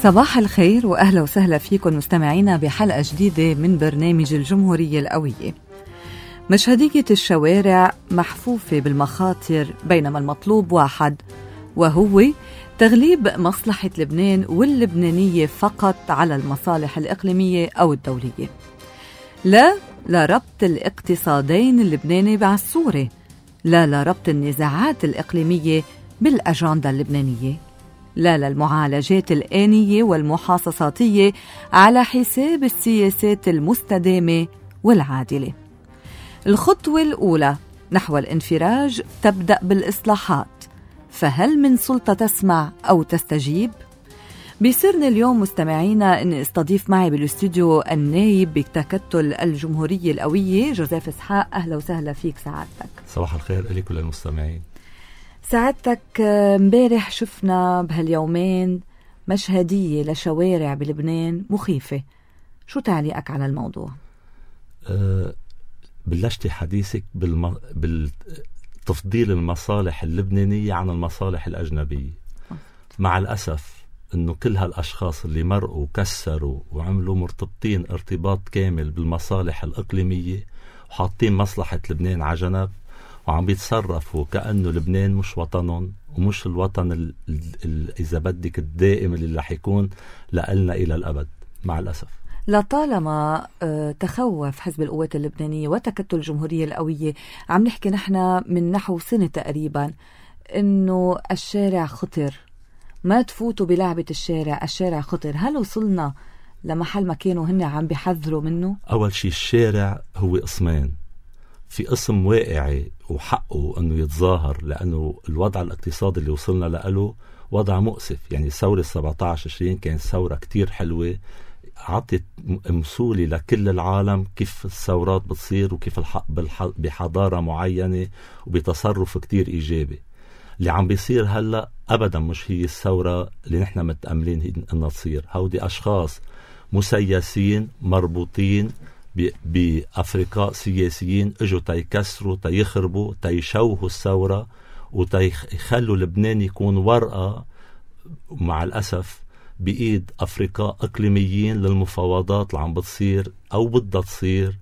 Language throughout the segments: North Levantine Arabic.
صباح الخير وأهلا وسهلا فيكم مستمعينا بحلقة جديدة من برنامج الجمهورية القوية. مشهدية الشوارع محفوفة بالمخاطر بينما المطلوب واحد، وهو تغليب مصلحة لبنان واللبنانية فقط على المصالح الإقليمية أو الدولية. لا لربط الاقتصادين اللبناني بعالصورة، لا لربط النزاعات الإقليمية بالأجندة اللبنانية، لا للمعالجات الآنية والمحاصصاتية على حساب السياسات المستدامة والعادلة. الخطوة الأولى نحو الانفراج تبدأ بالإصلاحات، فهل من سلطة تسمع أو تستجيب؟ بيسرني اليوم مستمعينا أن استضيف معي بالاستوديو النائب بتكتل الجمهورية القوية جوزيف إسحاق. أهلا وسهلا فيك سعادتك. صباح الخير لكل المستمعين. سعادتك، امبارح شفنا بهاليومين مشهدية لشوارع بلبنان مخيفة، شو تعليقك على الموضوع؟ بلشتي حديثك بالتفضيل المصالح اللبنانية عن المصالح الأجنبية. مع الأسف أنه كل هالأشخاص اللي مرقوا وكسروا وعملوا مرتبطين ارتباط كامل بالمصالح الإقليمية وحاطين مصلحة لبنان على جنب، وعم بيتصرفوا كأنه لبنان مش وطنهم ومش الوطن إذا بدك الدائم اللي رح يكون لألنا إلى الأبد. مع الأسف لطالما تخوف حزب القوات اللبنانية وتكتل الجمهورية القوية، عم نحكي نحن من نحو سنة تقريبا إنه الشارع خطر، ما تفوتوا بلعبة الشارع خطر. هل وصلنا لمحل ما كانوا هن عم بيحذروا منه؟ أول شيء الشارع هو قسمين، في قسم واقعي وحقه أنه يتظاهر لأنه الوضع الاقتصادي اللي وصلنا له وضع مؤسف. يعني ثورة 17/20 كانت ثورة كتير حلوة، عطت مسؤولة لكل العالم كيف الثورات بتصير وكيف الحق بحضارة معينة وبتصرف كتير إيجابي. اللي عم بيصير هلأ أبدا مش هي الثورة اللي نحن متأملين أنها تصير. هودي أشخاص مسيسين مربوطين بأفريقاء سياسيين اجوا تيكسروا تيخربوا تيشوهوا الثورة وتيخلوا لبنان يكون ورقة مع الأسف بإيد أفريقاء إقليميين للمفاوضات اللي عم بتصير أو بدها تصير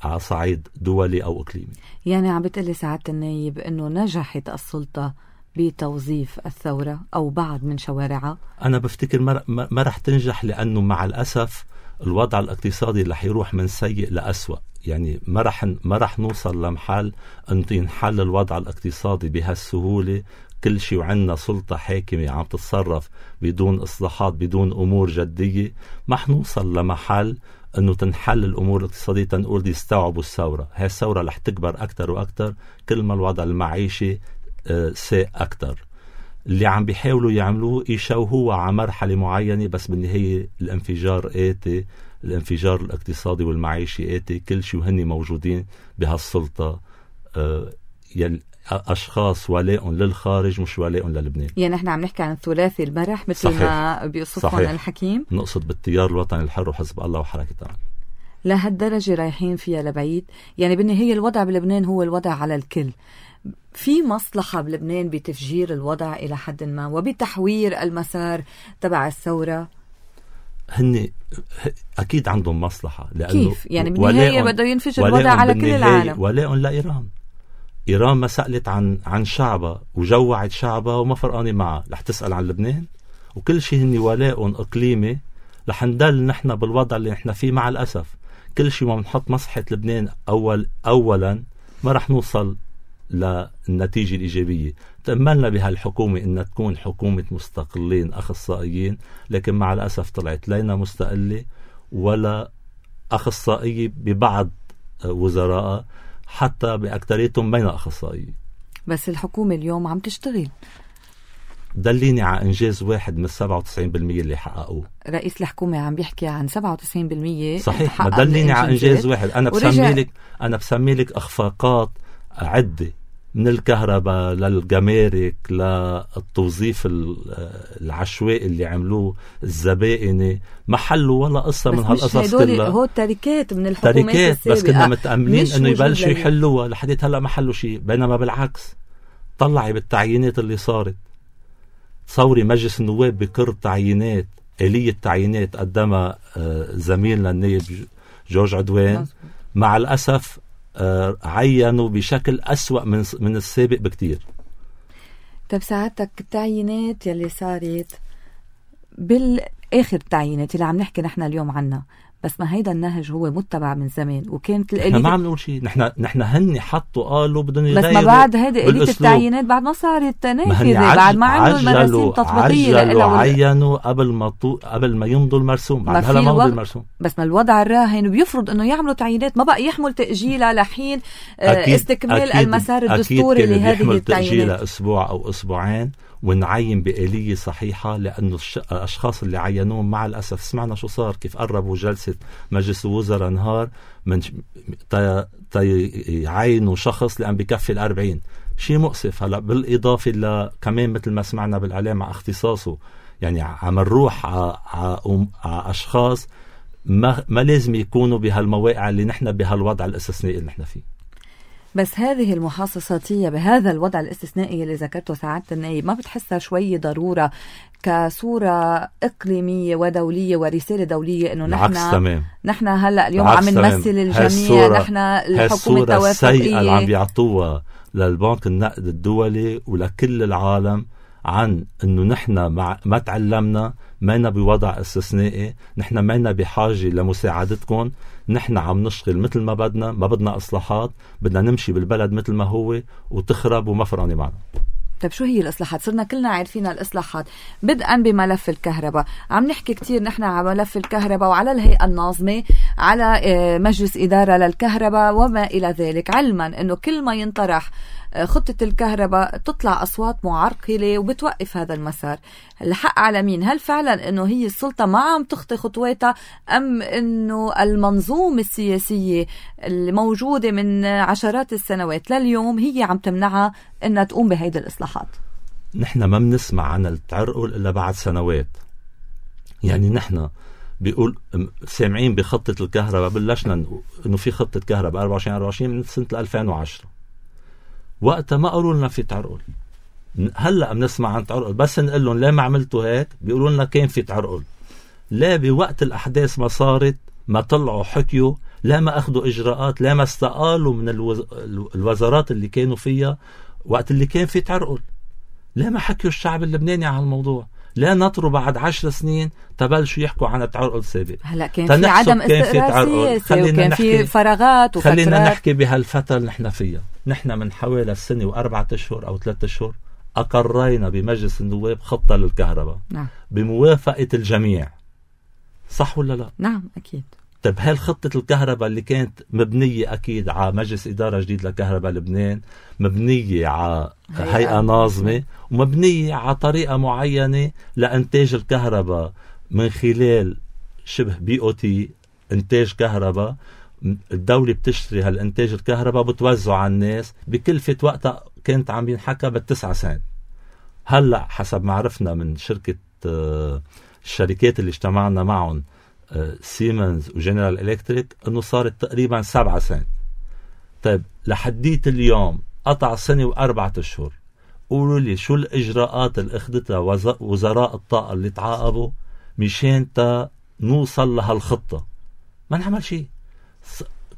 على صعيد دولي أو إقليمي. يعني عم بتقلي سعادة النايب أنه نجحت السلطة بتوظيف الثورة أو بعض من شوارعها؟ أنا بفتكر ما رح تنجح، لأنه مع الأسف الوضع الاقتصادي رح يروح من سيء لأسوأ. يعني ما رح نوصل لمحل أن ينحل الوضع الاقتصادي بهالسهولة كل شيء وعندنا سلطة حاكمة عم تتصرف بدون إصلاحات بدون أمور جدية. ما حنوصل لمحل أنه تنحل الأمور الاقتصادية تنقول دي استوعبوا الثورة. هاي الثورة رح تكبر أكتر وأكتر كل ما الوضع المعيشي سيء أكتر. اللي عم بيحاولوا يعملوه يشوهوه على مرحلة معينة، بس بالنهاية الانفجار آتي، الانفجار الاقتصادي والمعيشي آتي. كل شيء وهن موجودين بهالسلطة أشخاص ولاء للخارج مش ولاء للبنان. يعني احنا عم نحكي عن ثلاثي المرح مثل صحيح. ما بيوصفون الحكيم. نقصد بالتيار الوطني الحر وحزب الله وحركة أمل. لهالدرجة رايحين فيها لبعيد؟ يعني بالنهاية الوضع بلبنان هو الوضع على الكل. في مصلحة بلبنان بتفجير الوضع إلى حد ما وبتحوير المسار تبع الثورة؟ هن أكيد عندهم مصلحة، لأنه كيف؟ يعني بالنهاية بده ينفجر الوضع على كل العالم. ولاء لإيران. إيران ما سألت عن شعبها وجوعت شعبها وما فرقاني معها. رح تسأل عن لبنان؟ وكل شيء هن ولاء إقليمي. رح ندل نحن بالوضع اللي نحن فيه. مع الأسف كل شيء ما بنحط مصلحة لبنان أولا ما رح نوصل للنتيجة الإيجابية. تأملنا بهالحكومة إنها تكون حكومة مستقلين أخصائيين، لكن مع الأسف طلعت لينا مستقلة ولا أخصائية ببعض وزراء، حتى بأكتريتهم بين أخصائيين. بس الحكومة اليوم عم تشتغل. دليني على إنجاز واحد من 97% اللي حققوه. رئيس الحكومة عم بيحكي عن 97%. صحيح، ما دليني على إنجاز واحد. أنا بسمي لك أخفاقات عدة، من الكهرباء للجمارك للتوظيف العشوائي اللي عملوه، الزبائن ما حلوا ولا قصة من هالقصص كلها. هو تركات من الحكومات السابقة، بس كنا متأملين انه يبلشوا يحلوها. لحديت هلا ما حلوا شيء، بينما بالعكس طلعي بالتعيينات اللي صارت. تصوري مجلس النواب بكر تعيينات آلية تعيينات قدمها زميلنا النائب جورج عدوان. مع الأسف عينوا بشكل أسوأ من السابق بكتير. طيب ساعتك التعيينات يلي صارت بالآخر التعيينات اللي عم نحكي نحن اليوم عنها، بس ما هيدا النهج هو متبع من زمان وكانت نحن ما عم نقول شيء. نحن هني حطوا قالوا بدهم يغيروا، بس ما بعد هيدي آلية التعيينات بعد ما صارت نافذة، بعد ما عملوا المراسيم تطبيقية عينوا قبل ما يمضوا المرسوم. بعد هلا ما مضوا المرسوم. بس ما الوضع الراهن بيفرض انه يعملوا تعيينات، ما بقى يحمل تأجيلها لحين استكمال المسار الدستوري لهذه التعيينات. تأجيلها أسبوع أو أسبوعين ونعين بآلية صحيحة، لأنه الأشخاص اللي عينوهم مع الأسف سمعنا شو صار، كيف قربوا جلسة مجلس الوزراء نهار من يعينوا شخص لأن بكفي 40. شيء مؤسف. هلا بالإضافة كمان مثل ما سمعنا بالإعلام مع اختصاصه، يعني عم نروح على أشخاص ما لازم يكونوا بهالمواقع اللي نحن بهالوضع الاستثنائي اللي نحن فيه. بس هذه المحاصصاتية بهذا الوضع الاستثنائي اللي ذكرته سعادة النائب، ما بتحسها شوي ضرورة كصورة إقليمية ودولية ورسالة دولية إنه نحن هلأ اليوم عم نمثل الجميع، نحن الحكومة التوافقية. السيئة اللي عم بيعطوها للبنك النقد الدولي ولكل العالم عن إنه نحن ما تعلمنا، مانا بوضع استثنائي، نحن مانا بحاجة لمساعدتكم، نحن عم نشتغل مثل ما بدنا، ما بدنا إصلاحات، بدنا نمشي بالبلد مثل ما هو وتخرب وما فرقانة معنا. طيب شو هي الإصلاحات؟ صرنا كلنا عارفين الإصلاحات، بدءا بملف الكهرباء. عم نحكي كتير نحن على ملف الكهرباء وعلى الهيئة الناظمة، على مجلس إدارة للكهرباء وما إلى ذلك، علما أنه كل ما ينطرح خطة الكهرباء تطلع أصوات معرقلة وبتوقف هذا المسار. الحق على مين؟ هل فعلا أنه هي السلطة ما عم تخطي خطواتها، أم أنه المنظومة السياسية الموجودة من عشرات السنوات لليوم هي عم تمنعها أنها تقوم بهيدي الإصلاحات؟ نحن ما بنسمع عن التعرقل إلا بعد سنوات. يعني نحن بيقول سامعين بخطة الكهرباء، بلشنا أنه في خطة كهرباء 24 من سنة 2010. وقتها ما قالوا لنا في تعرقل. هلأ بنسمع عن تعرقل، بس نقول لهم لا ما عملتوا هيك بيقولوا لنا كان في تعرقل. لا بوقت الأحداث ما صارت ما طلعوا حكيوا، لا ما أخذوا إجراءات، لا ما استقالوا من الوزارات اللي كانوا فيها وقت اللي كان في تعرقل. لا ما حكيوا الشعب اللبناني عن الموضوع. لا نطروا بعد 10 سنين تبلشوا يحكوا عن التعرقل السابق. هلا كان في عدم استقرار سياسي وكان في فراغات وفترات. خلينا نحكي بهالفترة اللي نحن فيها. نحن من حوالي السنة و4 أشهر أو 3 أشهر أقرينا بمجلس النواب خطة للكهرباء. نعم. بموافقة الجميع. صح ولا لا؟ نعم أكيد. طيب هالخطة الكهرباء اللي كانت مبنية أكيد على مجلس إدارة جديد لكهرباء لبنان، مبنية على هيئة ناظمة، ومبنية على طريقة معينة لإنتاج الكهرباء من خلال شبه BOT إنتاج كهرباء. الدولة بتشتري هالإنتاج الكهرباء بتوزعه على الناس بكلفة وقتها كانت عم ينحكى ب9 سنت. هلأ حسب ما عرفنا من شركة الشركات اللي اجتمعنا معهم سيمنز وجنرال إلكتريك انه صارت تقريبا 7 سنت. طيب لحديت اليوم قطع سنة و4 أشهر، قولوا لي شو الإجراءات اللي اخذتها وزراء الطاقة اللي تعاقبوا مشان نوصل لهالخطة؟ ما نعمل شيء.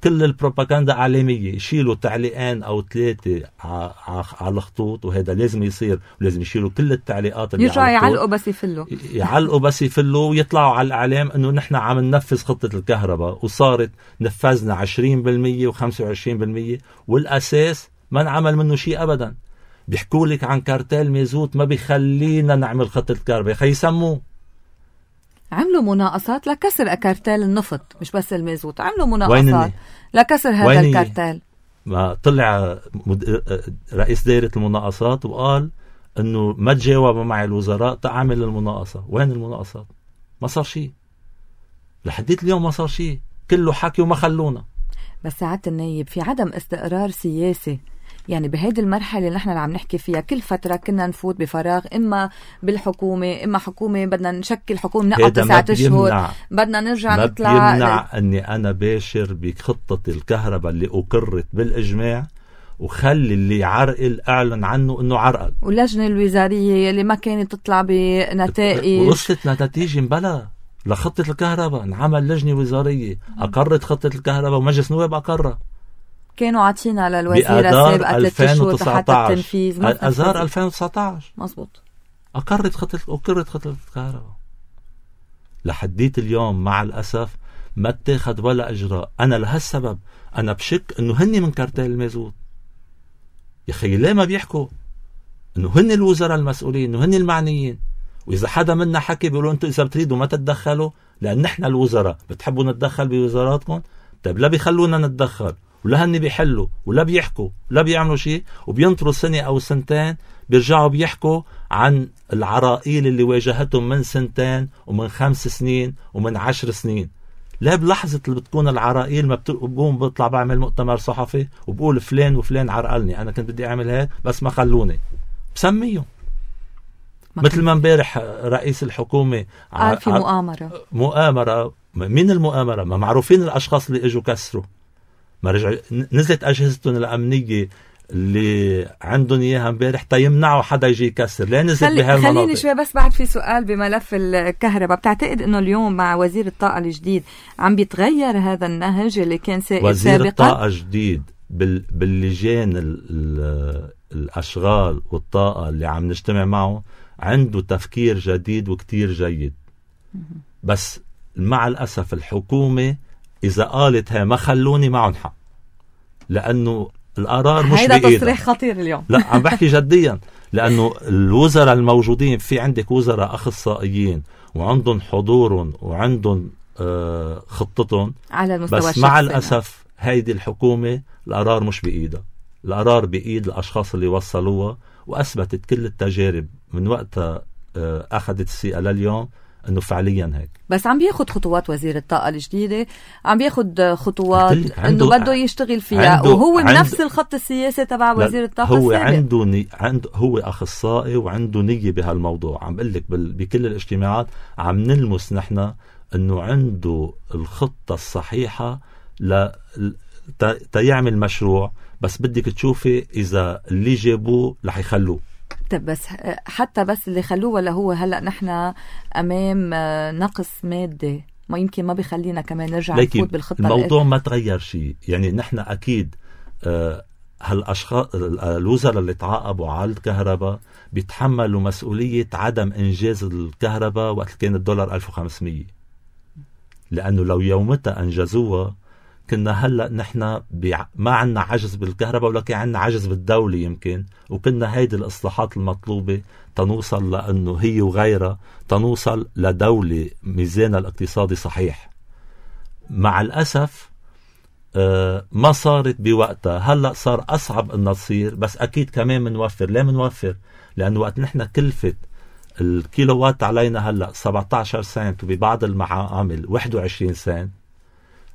كل البروباغندا إعلامية، يشيلوا تعليقين أو 3 على الخطوط، وهذا لازم يصير، ولازم يشيلوا كل التعليقات اللي يرجعوا يعلقوا بس يفلوا ويطلعوا على الإعلام أنه نحن عم ننفذ خطة الكهرباء، وصارت نفذنا 20% و25%، والأساس ما نعمل منه شيء أبدا. بيحكوا لك عن كارتيل ميزوت ما بيخلينا نعمل خطة الكهرباء، خيسموه. عملوا مناقصات لكسر كارتيل النفط، مش بس المازوت، عملوا مناقصات لكسر هذا الكارتيل. ما طلع رئيس دائرة المناقصات وقال انه ما تجاوبوا مع الوزراء تعمل المناقصة. وين المناقصات؟ ما صار شيء لحديت اليوم، ما صار شيء، كله حكي وما خلونا. بس سعادة النائب في عدم استقرار سياسي، يعني بهيدي المرحلة اللي نحن عم نحكي فيها كل فترة كنا نفوت بفراغ، إما بالحكومة إما حكومة بدنا نشكل حكومة نقعد 9 أشهر بدنا نرجع نطلع. ما بيمنع أني أنا باشر بخطة الكهرباء اللي أقرت بالإجماع وخلي اللي عرقل اعلن عنه انه عرقل. واللجنة الوزارية اللي ما كانت تطلع بنتائج وصلت لنتيجة مبلا لخطة الكهرباء، انعمل لجنة وزارية أقرت خطة الكهرباء ومجلس نواب أقرها. كانوا عاطينا للوزيرة السابقة 3 شهور حتى التنفيذ. أذار 2019 مزبوط أقرت خطة الكهرباء. لحديت اليوم مع الأسف ما اتخذ ولا إجراء. أنا لهالسبب أنا بشك إنه هني من كارتيل المازوت. يا أخي ليه ما بيحكوا إنه هني الوزراء المسؤولين، إنه هني المعنيين؟ وإذا حدا منا حكي بيقولوا أنتوا إذا بتريدوا ما تتدخلوا لأن نحن الوزراء بتحبوا نتدخل بوزاراتكم. طيب لا بيخلونا نتدخل ولا هني بيحلوا ولا بيحكوا ولا بيعملوا شيء، وبينطروا سنة أو سنتين بيرجعوا بيحكوا عن العرائيل اللي واجهتهم من 2 ومن 5 سنين ومن 10 سنين. لا بلحظة اللي بتكون العرائيل ما بقوم بطلع بعمل مؤتمر صحفي وبقول فلان وفلان عرقلني، أنا كنت بدي أعمل هيك بس ما خلوني، بسميهم. مثل ما امبارح رئيس الحكومة قال في مؤامرة. مين المؤامرة؟ ما معروفين الأشخاص اللي اجوا كسروا، ما رجع نزلت أجهزتهم الأمنية اللي عندهم إياها امبارح تيمنعوا حدا يجي يكسر. ليه نزلت بهالمناطق؟ خليني شوي بس بعد في سؤال بملف الكهرباء. بتعتقد إنه اليوم مع وزير الطاقة الجديد عم بيتغير هذا النهج اللي كان سائد وزير سابقا؟ الطاقة الجديد باللجان الأشغال والطاقة اللي عم نجتمع معه عنده تفكير جديد وكتير جيد. بس مع الأسف الحكومة إذا قالت هي ما خلوني معهم حق، لأنه القرار مش بإيدها. هيدا تصريح خطير اليوم. لا عم بحكي جديا، لأنه الوزراء الموجودين في عندك وزراء أخصائيين وعندهم حضورهم وعندهم خطتهم على المستوى بس الشخصي. مع الأسف هيدي الحكومة القرار مش بإيدها، القرار بإيد الأشخاص اللي وصلوها. وأثبتت كل التجارب من وقتها أخذت السيئة لليوم أنه فعليا هيك. بس عم بياخد خطوات وزير الطاقة الجديدة، عم بياخد خطوات أنه بده يشتغل فيها، وهو بنفس الخط السياسي تبع وزير الطاقة هو السابق. هو أخصائي وعنده نية بهالموضوع. عم بقول لك بكل الاجتماعات عم نلمس نحن أنه عنده الخطة الصحيحة تيعمل مشروع. بس بدك تشوفي إذا اللي جابوه رح يخلوه. طب بس حتى بس اللي خلوه، ولا هو هلأ نحن أمام نقص مادي ما يمكن ما بيخلينا كمان نرجع نفوت بالخطة؟ الموضوع ما تغير شيء. يعني نحن أكيد هالأشخاص الوزراء اللي تعاقبوا على الكهرباء بيتحملوا مسؤولية عدم إنجاز الكهرباء وقت كان الدولار 1500، لأنه لو يومتها أنجزوها كنا هلأ نحن ما عنا عجز بالكهرباء ولكن عنا عجز بالدولة يمكن، وكنا هيدي الإصلاحات المطلوبة تنوصل لأنه هي وغيرها تنوصل لدولة ميزانها الاقتصادي صحيح. مع الأسف ما صارت بوقتها. هلأ صار أصعب أن تصير، بس أكيد كمان منوفر. ليه منوفر؟ لأنه وقت نحن كلفت الكيلووات علينا هلأ 17 سنت وببعض المعامل 21 سنت.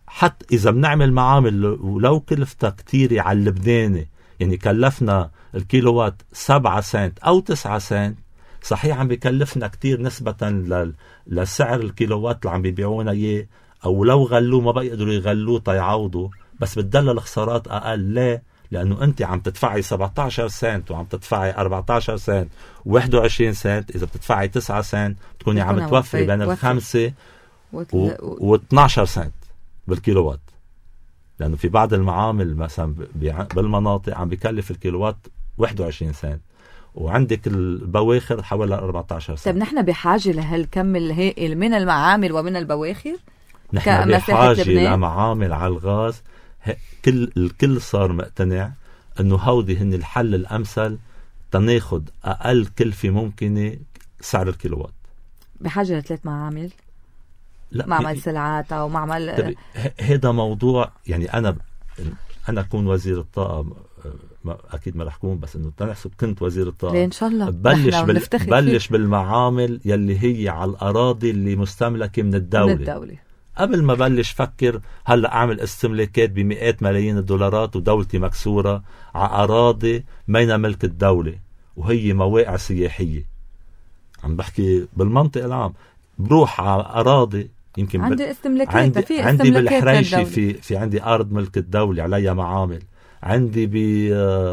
حتى إذا بنعمل معامل ولو كلفتها كتيرة على اللبناني، يعني كلفنا الكيلووات 7 سنت أو 9 سنت، صحيح عم بيكلفنا كتير نسبة لسعر الكيلووات اللي عم بيبيعونا إياه، أو لو غلوه ما بيقدروا يغلوه تيعوضوا، بس بتدل الخسارات أقل. ليه؟ لأنه أنت عم تدفعي 17 سنت وعم تدفعي 14 سنت و21 سنت. إذا بتدفعي 9 سنت تكوني عم توفري بين 5 و12 سنت بالكيلووات، لأنه في بعض المعامل مثلا بالمناطق عم بيكلف الكيلووات 21 سنت وعندك البواخر حوالي 14 سنت. طيب نحن بحاجة لهالكم الهائل من المعامل ومن البواخر؟ نحن بحاجة لمعامل على الغاز. الكل صار مقتنع أنه هودي هن الحل الأمثل تناخد أقل كلفة ممكنة سعر الكيلووات. بحاجة ل3 معامل؟ لا، معمل سلعات أو معمل. هذا موضوع يعني أنا أكون وزير الطاقة، أكيد ما رح أكون، بس إنه تنحسب كنت وزير الطاقة إن شاء الله بلش بالمعامل يلي هي على الأراضي اللي مستملكة من الدولة. قبل ما بلش فكر هلأ أعمل استملاكات بمئات ملايين الدولارات ودولتي مكسورة على أراضي مين ملك الدولة وهي مواقع سياحية. عم بحكي بالمنطق العام، بروح على أراضي يمكن عندي استملاكات، عندي بالحريشة في عندي أرض ملك الدولة عليها معامل، عندي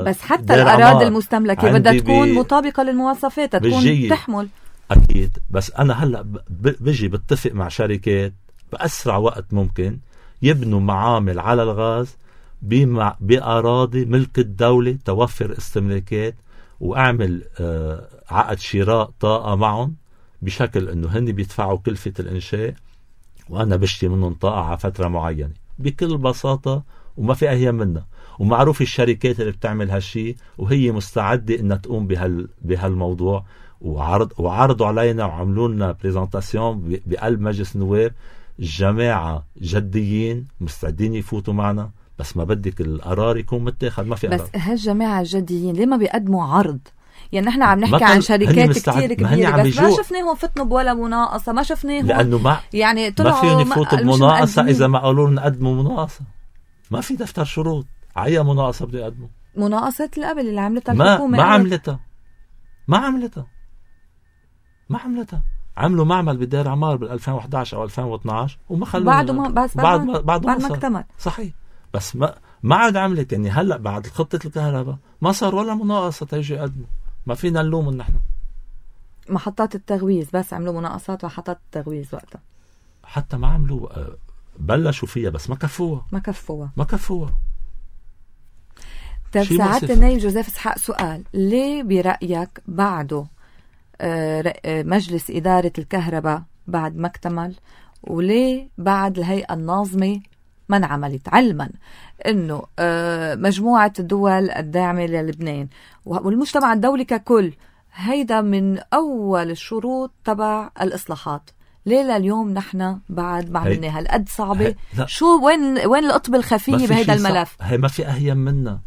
بس حتى الأراضي المستملكة بدها تكون مطابقة للمواصفات، تكون تحمل. أكيد. بس أنا هلأ بجي بتفق مع شركات بأسرع وقت ممكن يبنوا معامل على الغاز بأراضي ملك الدولة، توفر استملاكات، وأعمل عقد شراء طاقة معهم بشكل أنه هن بيدفعوا كلفة الإنشاء وأنا بشتري منهم طاقة على فترة معينة بكل بساطة، وما في أهيا منها. ومعروف الشركات اللي بتعمل هالشي وهي مستعدة أنها تقوم بهالموضوع، وعرضوا علينا وعملوا لنا بريزنتاسيون بقلب مجلس النواب. الجماعة جديين مستعدين يفوتوا معنا، بس ما بدك القرار يكون متاخد. ما في بس هالجماعة الجديين ليه ما بيقدموا عرض؟ يعني نحن عم نحكي عن شركات كتير كبيرة، بس ما شفناهم فتنوا بولا مناقصة، ما شفناهم لأنه يعني ما فيهم يفوتوا بمناقصة إذا ما قالوا لنا قدموا مناقصة. ما في دفتر شروط، عيا مناقصة بده يقدموا. مناقصة اللي قبل اللي عملتها الحكومة ما عملتها. عملوا معمل بدار عمار بال2011 أو 2012 وما خلوا بعد ما اكتمل. صحيح. بس ما عاد عملت. يعني هلأ بعد خطة الكهرباء ما صار ولا مناقصة تيجي يقدموا. ما فينا نلوم نحن. محطات التغويز بس عملوا مناقصات محطات التغويز وقتها. حتى ما عملوا، بلشوا فيها بس ما كفوها. طيب ساعات النائب جوزيف اسحاق سؤال، ليه برأيك بعده مجلس إدارة الكهرباء بعد ما اكتمل، وليه بعد الهيئة الناظمة ما انعملت، علما انه مجموعة الدول الداعمة للبنان والمجتمع الدولي ككل هيدا من اول الشروط تبع الإصلاحات؟ ليه لليوم نحن بعد ما عملنا هالقد صعبة؟ شو وين القطب الخفية بهيدا الملف؟ هي ما في أهيم منا.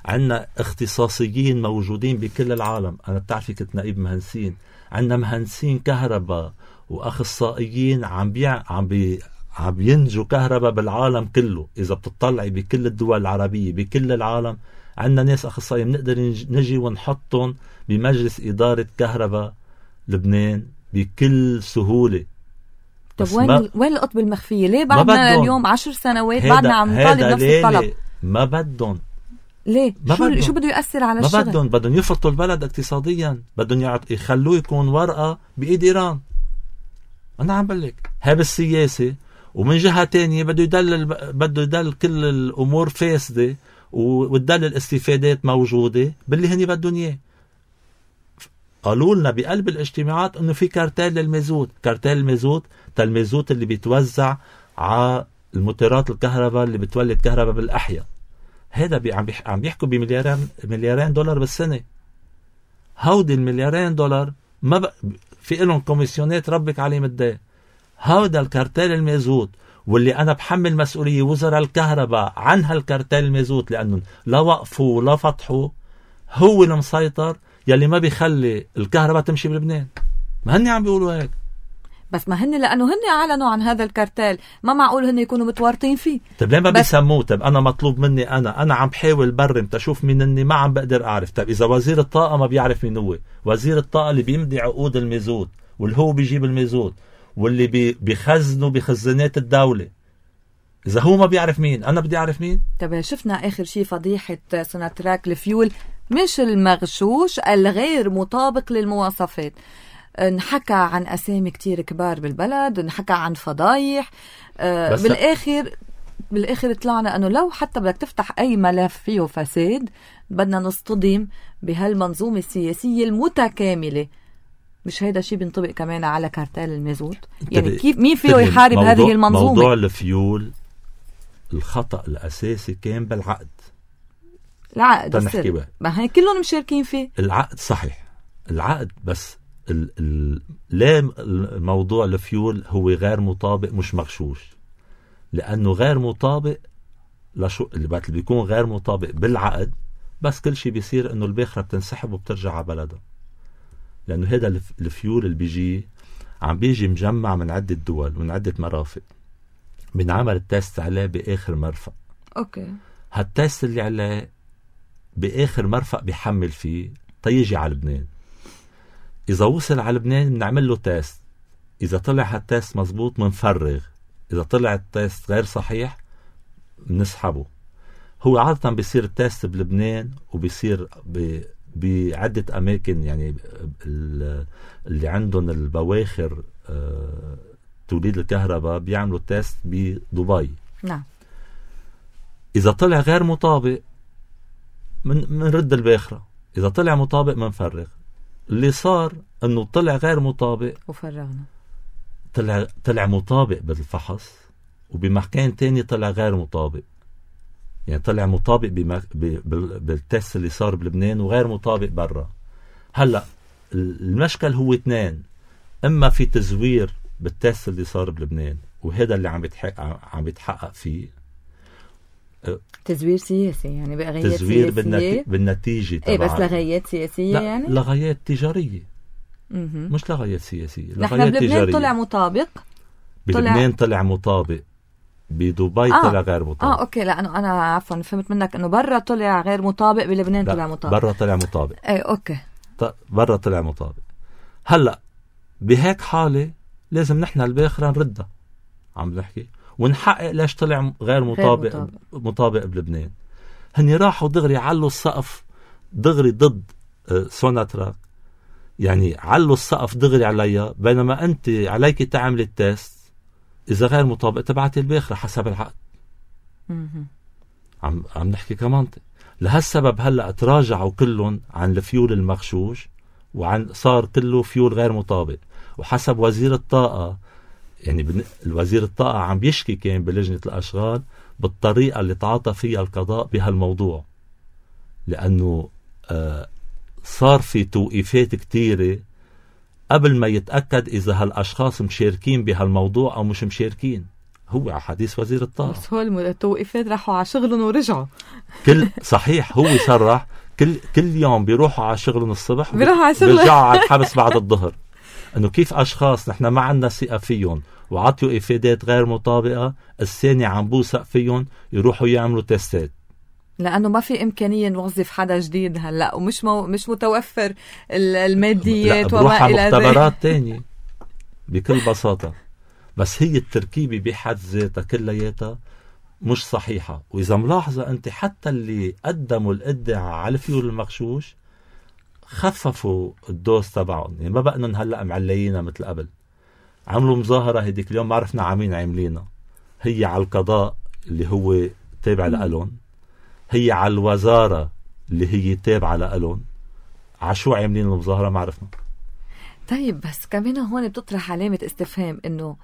عنا اختصاصيين موجودين بكل العالم. أنا بتعرفي كنت نائب مهندسين، عنا مهندسين كهرباء وأخصائيين عم ينجوا كهرباء بالعالم كله. إذا بتطلعي بكل الدول العربية بكل العالم عنا ناس أخصائيين بنقدر نجي ونحطهم بمجلس إدارة كهرباء لبنان بكل سهولة. طب وين القطب المخفية؟ ليه بعدنا اليوم 10 سنوات بعدنا عم نطالب نفس الطلب؟ ما بدهم. ليه؟ شو بده يؤثر على الشغل؟ ما بدهم يفرطوا البلد اقتصاديا، بدهم يخلوه يكون ورقة بإيد إيران. أنا عم بقولك هاي بالسياسة. ومن جهة تانية بده يدل كل الأمور فاسدة وتدل الاستفادات موجودة باللي هني بدهم إياه. قالوا لنا بقلب الاجتماعات إنه في كارتيل للمازوت. كارتيل المازوت اللي بيتوزع على الموتورات الكهرباء اللي بتولد كهرباء بالأحياء. هذا عم بيحكوا بمليارين دولار بالسنة. هودي المليارين دولار ما في لهم كوميسيونات ربك عليه مدة. هذا الكارتيل المازوت واللي أنا بحمل مسؤولية وزراء الكهرباء عن هالكارتيل المازوت، لأنه لا وقفوا ولا فتحوا، هو المسيطر يلي ما بيخلي الكهرباء تمشي بلبنان. ما هني عم بيقولوا هيك. بس ما هن لأنه هن أعلنوا عن هذا الكارتيل، ما معقول هن يكونوا متورطين فيه. طب ليه ما بيسموه؟ طب أنا مطلوب مني أنا عم بحاول برم تشوف مين إني ما عم بقدر أعرف. طب إذا وزير الطاقة ما بيعرف مين هو، وزير الطاقة اللي بيمضي عقود المازوت واللي هو بيجيب المازوت واللي بيخزنوا بخزانات الدولة، إذا هو ما بيعرف مين أنا بدي أعرف مين؟ طب شفنا آخر شيء فضيحة سوناتراك الفيول، مش المغشوش الغير مطابق للمواصفات. نحكى عن أسامي كتير كبار بالبلد، نحكى عن فضايح. بالآخر طلعنا أنه لو حتى بدك تفتح أي ملف فيه فساد بدنا نصطدم بهالمنظومة السياسية المتكاملة. مش هيدا شيء بينطبق كمان على كارتيل المازوت؟ يعني كيف مين فيه يحارب هذه المنظومة؟ موضوع الفيول الخطأ الأساسي كان بالعقد. العقد ما هي كلهم مشاركين فيه. العقد صحيح، العقد، بس لا الموضوع الفيول هو غير مطابق مش مغشوش، لأنه غير مطابق لشو اللي بيكون غير مطابق بالعقد. بس كل شيء بيصير إنه الباخرة بتنسحب وبترجع على بلدها، لأنه هذا الفيول اللي بيجي مجمع من عدة دول ومن عدة مرافق. بنعمل التست عليه بآخر مرفق. أوكي. هالتست اللي عليه بآخر مرفق بيحمل فيه تيجي على لبنان. إذا وصل على لبنان بنعمل له تست، إذا طلع هالتست مزبوط منفرغ، إذا طلع التست غير صحيح بنسحبه. هو عادة بيصير التست بلبنان وبيصير بعدة أماكن، يعني اللي عندهم البواخر توليد الكهرباء بيعملوا تست بدبي. نعم. إذا طلع غير مطابق منرد الباخرة، إذا طلع مطابق منفرغ. اللي صار أنه طلع غير مطابق وفرغنا، طلع مطابق بالفحص، وبمكان تاني طلع غير مطابق. يعني طلع مطابق بالتست اللي صار بلبنان وغير مطابق برا. هلأ المشكل هو اثنين: إما في تزوير بالتست اللي صار بلبنان، وهذا اللي عم بيتحقق فيه تزوير سياسي، يعني بغايات تزوير سياسية بالنتيجة ايه، بس لغايات سياسية. لا، يعني لغايات تجارية. مش لغايات سياسية، نحن لغايات بلبنان تجارية. طلع مطابق، بلبنان طلع مطابق، بدبي طلع غير مطابق. اوكي، لانه انا عفوا فهمت منك انه برا طلع غير مطابق، بلبنان طلع مطابق. برا طلع مطابق. اي اوكي، برا طلع مطابق. هلا بهيك حالة لازم نحن الباخرة نردها، عم نحكي ونحقق ليش طلع غير مطابق بلبنان. هني راحوا دغري علوا السقف دغري ضد سوناتراك، يعني علوا السقف دغري عليها، بينما انت عليك تعمل التست اذا غير مطابق تبعت الباخرة حسب العقد. عم نحكي كمنطق. لهالسبب هلا تراجعوا كلهم عن الفيول المغشوش، وعن صار كله فيول غير مطابق. وحسب وزير الطاقة، يعني الوزير الطاقة عم بيشكي كان بلجنة الأشغال بالطريقة اللي تعاطى فيها القضاء بهالموضوع، لأنه صار في توقيفات كتيرة قبل ما يتأكد إذا هالأشخاص مشاركين بهالموضوع أو مش مشاركين. هو على حديث وزير الطاقة، بس هو التوقيفات راحوا على شغلهم ورجعوا. صحيح، هو صرح كل يوم بيروحوا على شغلهم الصبح بيرجعوا على الحبس بعد الظهر. انه كيف اشخاص نحن ما عندنا ثقة فيهم وعطيوا افادات غير مطابقة، الثاني عم بوثق فيهم يروحوا يعملوا تستات، لانه ما في امكانية نوظف حدا جديد هلا، ومش مش متوفر الماديات وما الى ذلك. مختبرات تانية بكل بساطة. بس هي التركيبة بحد ذاتها كلياتها مش صحيحة. واذا ملاحظة انت حتى اللي قدموا الادعاء على الفيول المغشوش خففوا الدوز تبعهم، يعني ما بقنن هلأ معليينها مثل قبل. عملوا مظاهرة هديك اليوم، ما عرفنا عامين عاملينها، هي على القضاء اللي هو تابع لألون، هي على الوزارة اللي هي تابعة لألون. عشو عاملين المظاهرة ما عرفنا. طيب بس كمان هون بتطرح علامة استفهام، انه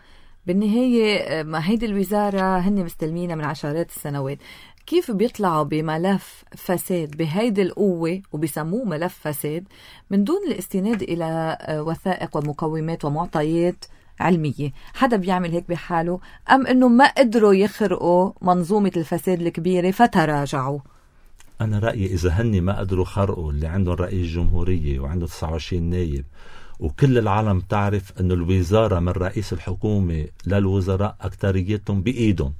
بالنهاية ما هيدي الوزارة هن مستلمينها من عشرات السنوات، كيف بيطلعوا بملف فساد بهيدي القوة وبيسموه ملف فساد من دون الاستناد إلى وثائق ومقومات ومعطيات علمية؟ حدا بيعمل هيك بحاله، أم أنه ما قدروا يخرقوا منظومة الفساد الكبيرة فتراجعوا؟ أنا رأيي إذا هني ما قدروا خرقوا اللي عندهم رئيس جمهورية وعنده 29 نايب، وكل العالم تعرف أنه الوزارة من رئيس الحكومة للوزراء أكتريتهم بإيدهم،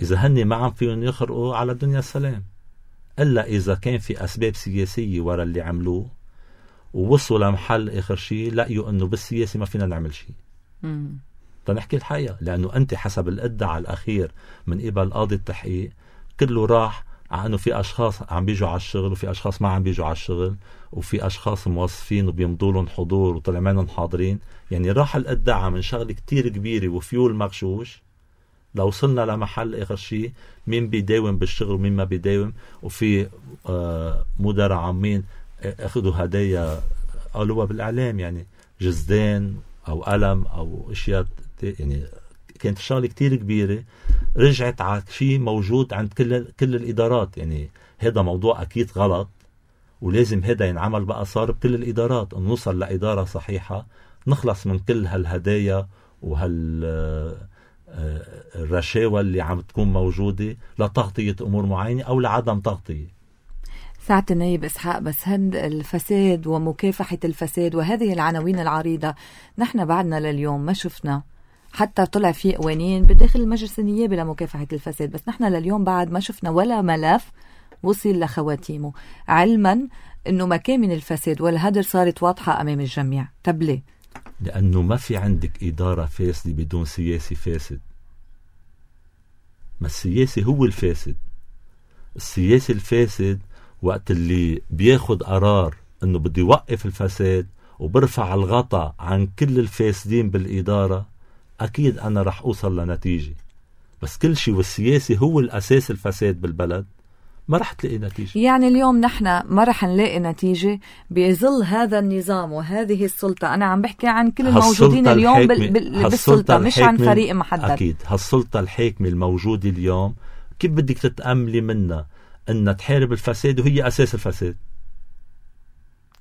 إذا هني ما عم فيهم يخرقوا على الدنيا السلام، إلا إذا كان في أسباب سياسية وراء اللي عملوه ووصلوا لمحل آخر شيء لقيوا أنه بالسياسي ما فينا نعمل شيء. تنحكي الحقيقة، لأنه أنت حسب الادعاء الأخير من قبل قاضي التحقيق كله راح على أنه في أشخاص عم بيجوا على الشغل وفي أشخاص ما عم بيجوا على الشغل، وفي أشخاص موظفين وبيمضوا لهم حضور وطلع منهم حاضرين. يعني راح الادعاء من شغل كتير كبيرة وفيول مغشوش لو وصلنا لمحل آخر شيء مين بيداوم بالشغل ومين ما بيداوم. وفي مدراء عامين أخذوا هدايا قالوها بالإعلام، يعني جزدان أو قلم أو أشياء، يعني كانت شغلة كتير كبيرة رجعت على شيء موجود عند كل الإدارات. يعني هذا موضوع أكيد غلط، ولازم هذا ينعمل بقى صار بكل الإدارات، أن نوصل لإدارة صحيحة نخلص من كل هالهدايا الرشاوى اللي عم تكون موجودة لتغطية أمور معينة أو لعدم تغطية. ساعة النايب إسحاق، بس هند الفساد ومكافحة الفساد وهذه العناوين العريضة نحن بعدنا لليوم ما شفنا، حتى طلع في قوانين بداخل المجلس النيابي لمكافحة الفساد، بس نحن لليوم بعد ما شفنا ولا ملف وصل لخواتيمه، علما أنه مكامن الفساد والهدر صارت واضحة أمام الجميع. طب ليه؟ لأنه ما في عندك إدارة فاسدة بدون سياسي فاسد. ما السياسي هو الفاسد. السياسي الفاسد وقت اللي بياخد قرار انه بده يوقف الفساد وبرفع الغطاء عن كل الفاسدين بالإدارة، أكيد أنا رح أوصل لنتيجة. بس كل شيء والسياسي هو الأساس الفساد بالبلد ما رح تلاقي نتيجة. يعني اليوم نحن ما رح نلاقي نتيجة بظل هذا النظام وهذه السلطة. أنا عم بحكي عن كل الموجودين اليوم بالسلطة، مش عن فريق محدد. أكيد هالسلطة الحاكمة الموجودة اليوم كيف بدك تتأملي منها أنها تحارب الفساد وهي أساس الفساد؟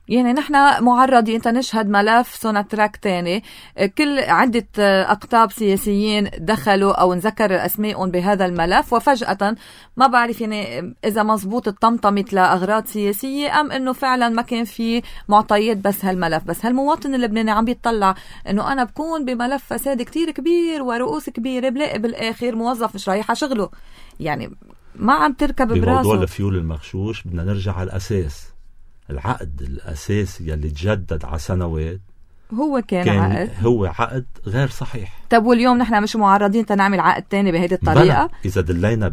يعني نحن معرضين نشهد ملف سوناتراك تاني، كل عدة أقطاب سياسيين دخلوا أو نذكر أسمائهم بهذا الملف، وفجأة ما بعرف يعني إذا مزبوط الطمطمت لأغراض سياسية أم إنه فعلا ما كان في معطيات بس هالملف. بس هالمواطن اللبناني عم بيطلع إنه أنا بكون بملف فساد كتير كبير ورؤوس كبيرة، بلاقي بالآخر موظف مش رايح شغله. يعني ما عم تركب براسه. بموضوع الفيول المغشوش بدنا نرجع على الأساس. العقد الأساسي اللي تجدد على سنوات هو كان هو عقد غير صحيح. طب واليوم نحن مش معرضين تنعمل عقد تاني بهيدي الطريقة؟ إذا دلينا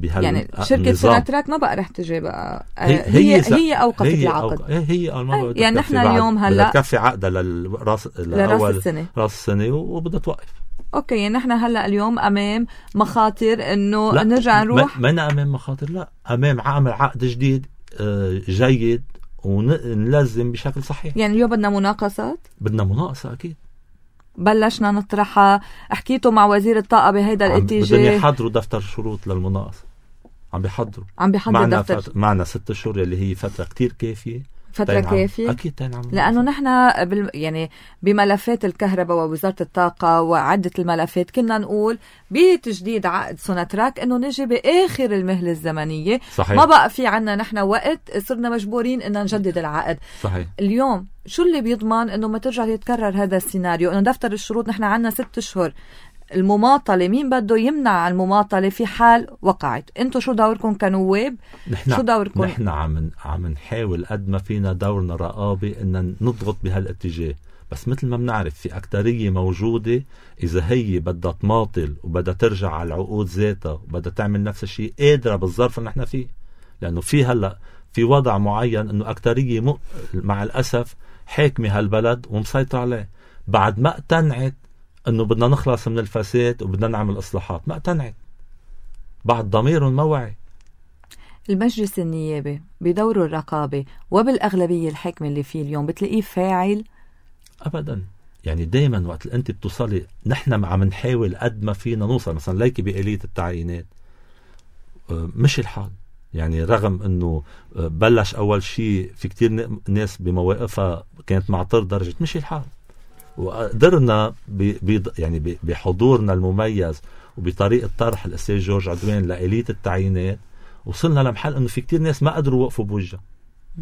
يعني شركة سوناتراك ما بقى رح تجي بقى هي أوقفت العقد. يعني نحن اليوم هلأ بدها تكفي عقدها لراس السنة وبدها توقف. أوكي، يعني نحن هلأ اليوم أمام مخاطر إنه نرجع نروح. ما أمام مخاطر، لا، أمام عمل عقد جديد جيد ونلزم بشكل صحيح. يعني اليوم بدنا مناقصات؟ بدنا مناقصة أكيد. بلشنا نطرحها، حكيتوا مع وزير الطاقة بهيدا الاتجاه؟ بدهم يحضروا دفتر شروط للمناقصة. عم بيحضر دفتر. معنا 6 شهور اللي هي فترة كتير كافية. فترة كافية أكيد تنعم. لأنه نحن يعني بملفات الكهرباء ووزارة الطاقة وعدة الملفات كنا نقول بتجديد عقد سوناتراك إنه نجي بآخر المهلة الزمنية. صحيح. ما بقى في عنا نحن وقت، صرنا مجبورين إن نجدد العقد. صحيح. اليوم شو اللي بيضمن إنه ما ترجع يتكرر هذا السيناريو؟ إنه دفتر الشروط نحن عنا 6 أشهر. المماطلة مين بده يمنع المماطلة في حال وقعت؟ انتو شو دوركم كنواب؟ شو دوركم؟ نحن عم نحاول قد ما فينا دورنا رقابي ان نضغط بهالاتجاه. بس مثل ما بنعرف في أكترية موجودة إذا هي بدها تماطل وبدها ترجع على العقود ذاتها وبدها تعمل نفس الشيء قادرة بالظرف اللي نحن فيه. لأنه في هلأ في وضع معين أنه أكترية مع الأسف حاكمة هالبلد ومسيطر عليه، بعد ما اقتنعت أنه بدنا نخلص من الفساد وبدنا نعمل إصلاحات، ما اقتنعت، بعد ضميرهم ما وعي. المجلس النيابي بدور الرقابة وبالأغلبية الحاكمة اللي فيه اليوم بتلاقيه فاعل؟ أبدا. يعني دايما وقت أنت بتوصلي، نحن عم نحاول قد ما فينا نوصل مثلا ليكي بآلية التعيينات، مش الحال. يعني رغم أنه بلش أول شيء في كتير ناس بمواقفها كانت معترض درجة مش الحال، وقدرنا يعني بحضورنا المميز وبطريقة طرح الأستاذ جورج عدوان لآلية التعيينات وصلنا لمحل أنه في كتير ناس ما قدروا وقفوا بوجهها،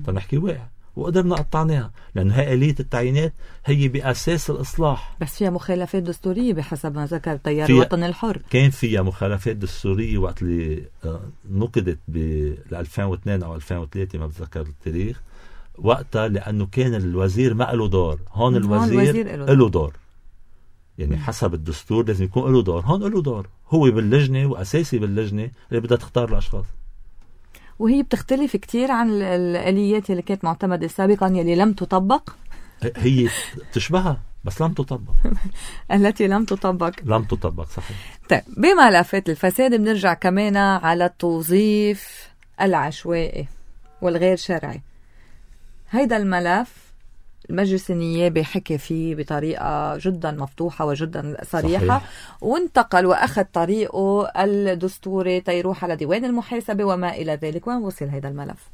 فنحكي واقع، وقدرنا قطعناها لأنه هاي آلية التعيينات هي بأساس الإصلاح. بس فيها مخالفات دستورية بحسب ما ذكر تيار الوطن الحر. كان فيها مخالفات دستورية وقت اللي نقدت ب 2002 أو 2003 ما بتذكر التاريخ وقتها، لأنه كان الوزير ما له دور. هون الوزير له دور، يعني حسب الدستور لازم يكون له دور. هون له دور، هو باللجنة وأساسي باللجنة اللي بدها تختار الأشخاص. وهي بتختلف كتير عن الآليات اللي كانت معتمدة سابقا يلي لم تطبق. هي تشبهها بس لم تطبق. التي لم تطبق صحيح. طيب بملفات الفساد بنرجع كمان على التوظيف العشوائي والغير شرعي. هيدا الملف المجلس النيابي حكي فيه بطريقة جدا مفتوحة وجدا صريحة. صحيح. وانتقل وأخذ طريقه الدستوري تيروح على ديوان المحاسبة وما إلى ذلك. وين وصل هيدا الملف؟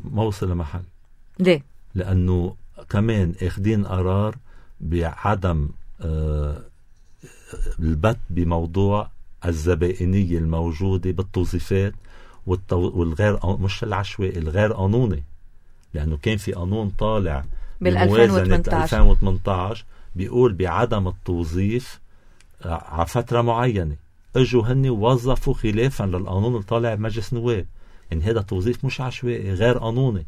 ما وصل لمحل. ليه؟ لأنه كمان اخدين قرار بعدم البت بموضوع الزبائنية الموجودة بالتوظيفات والغير مش العشوائي، الغير قانوني. لأنه كان في قانون طالع بموازنة 2018 بيقول بعدم التوظيف على فترة معينة. اجوا هني ووظفوا خلافا للقانون اللي طالع بمجلس نواب. يعني هذا توظيف مش عشوائي، غير قانوني.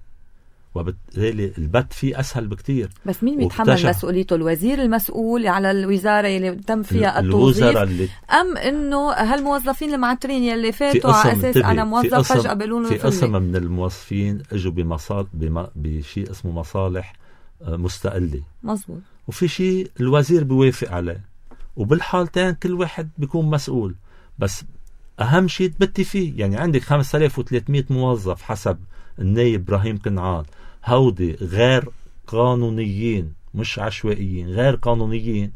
وبالتالي البت فيه أسهل بكتير. بس مين بيتحمل مسؤوليته؟ الوزير المسؤول على الوزارة اللي تم فيها التوظيف، أم إنه هالموظفين المعترين يلي فاتوا على أساس أنا موظف فجأة بيقولون في قسم من الموظفين اجوا بشيء اسمه مصالح مستقلة، مزبوط، وفي شيء الوزير بيوافق عليه، وبالحالتين كل واحد بيكون مسؤول. بس أهم شيء تبتي فيه. يعني عندك 5300 موظف حسب النايب إبراهيم كنعان، هودي غير قانونيين، مش عشوائيين، غير قانونيين،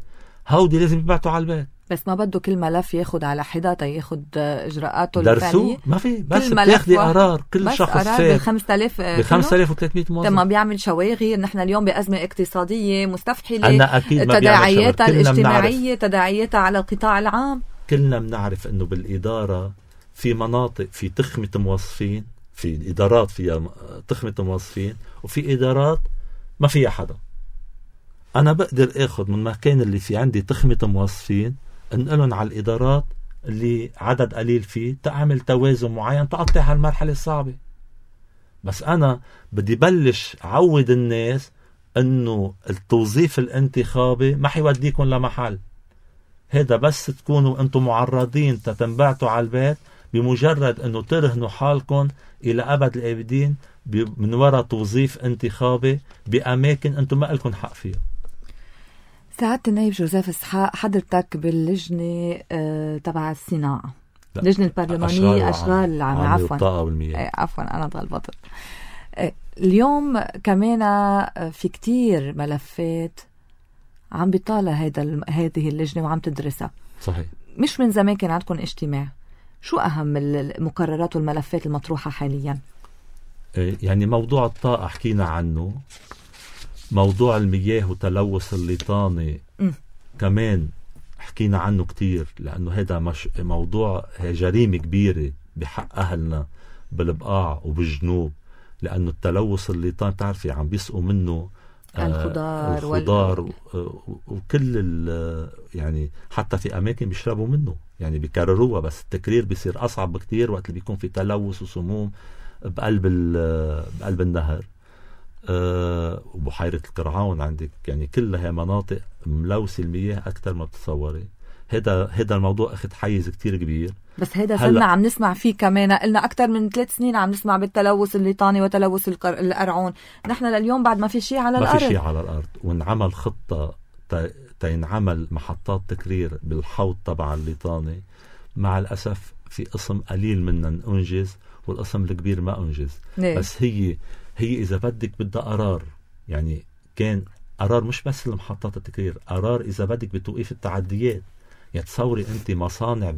هودي لازم يبعتوا على البيت. بس ما بده كل ملف ياخد على حدة ياخد إجراءاته الفعلية. ما في، بس بتاخدي قرار كل شخص فات ب 5300 موظف. ما بيعمل شواغي. نحن اليوم بأزمة اقتصادية مستفحلة، أنا أكيد تداعياتها الاجتماعية، تداعياتها على القطاع العام. كلنا بنعرف إنه بالإدارة في مناطق في تخمة موظفين، في إدارات فيها تخمة موظفين، وفي إدارات ما فيها حدا. أنا بقدر أخذ من مكان اللي في عندي تخمة موظفين انقلهم على الإدارات اللي عدد قليل فيه، تعمل توازن معين، تقطع هالمرحلة الصعبة. بس أنا بدي بلش عود الناس إنه التوظيف الانتخابي ما حيوديكم لمحل. هذا بس تكونوا أنتم معرضين تتنبعتوا على البيت، بمجرد أنه ترهنوا حالكم إلى أبد الآبدين من وراء توظيف انتخابي بأماكن أنتم ما لكم حق فيها. سعادة النائب جوزيف إسحاق، حضرتك باللجنة تبع الصناعة، اللجنة البرلمانية أشغال العامة، عفوا أنا اتغلبت. اليوم كمان في كتير ملفات عم بيطالع هذه اللجنة وعم تدرسها. صحيح. مش من زمان كان عندكم اجتماع. شو أهم المقررات والملفات المطروحة حاليا؟ يعني موضوع الطاقة حكينا عنه، موضوع المياه وتلوث الليطاني كمان حكينا عنه كتير، لأنه هذا مش موضوع جريمة كبيرة بحق أهلنا بالبقاع وبالجنوب، لأنه التلوث الليطاني تعرفي عم بيسقوا منه الخضار وكل يعني حتى في أماكن بيشربوا منه، يعني بيكرروها، بس التكرير بيصير أصعب بكتير وقت اللي بيكون في تلوث وسموم بقلب النهر. وبحيرة القرعون عندك، يعني كلها مناطق ملوثة المياه أكثر ما بتصوري. هذا الموضوع أخذ حيز كتير كبير. بس هذا صرنا عم نسمع فيه كمان، قلنا أكثر من 3 سنين عم نسمع بالتلوث الليطاني وتلوث القرعون. نحن لليوم بعد ما في شيء على الأرض، ما في شيء على الأرض. ونعمل خطة تينعمل محطات تكرير بالحوض تبع الليطاني. مع الأسف في قسم قليل منا أنجز والقسم الكبير ما أنجز. بس هي إذا بدك بدها قرار، يعني كان قرار مش بس المحطات التكرير، قرار إذا بدك بتوقيف التعديات. يعني تصوري أنت مصانع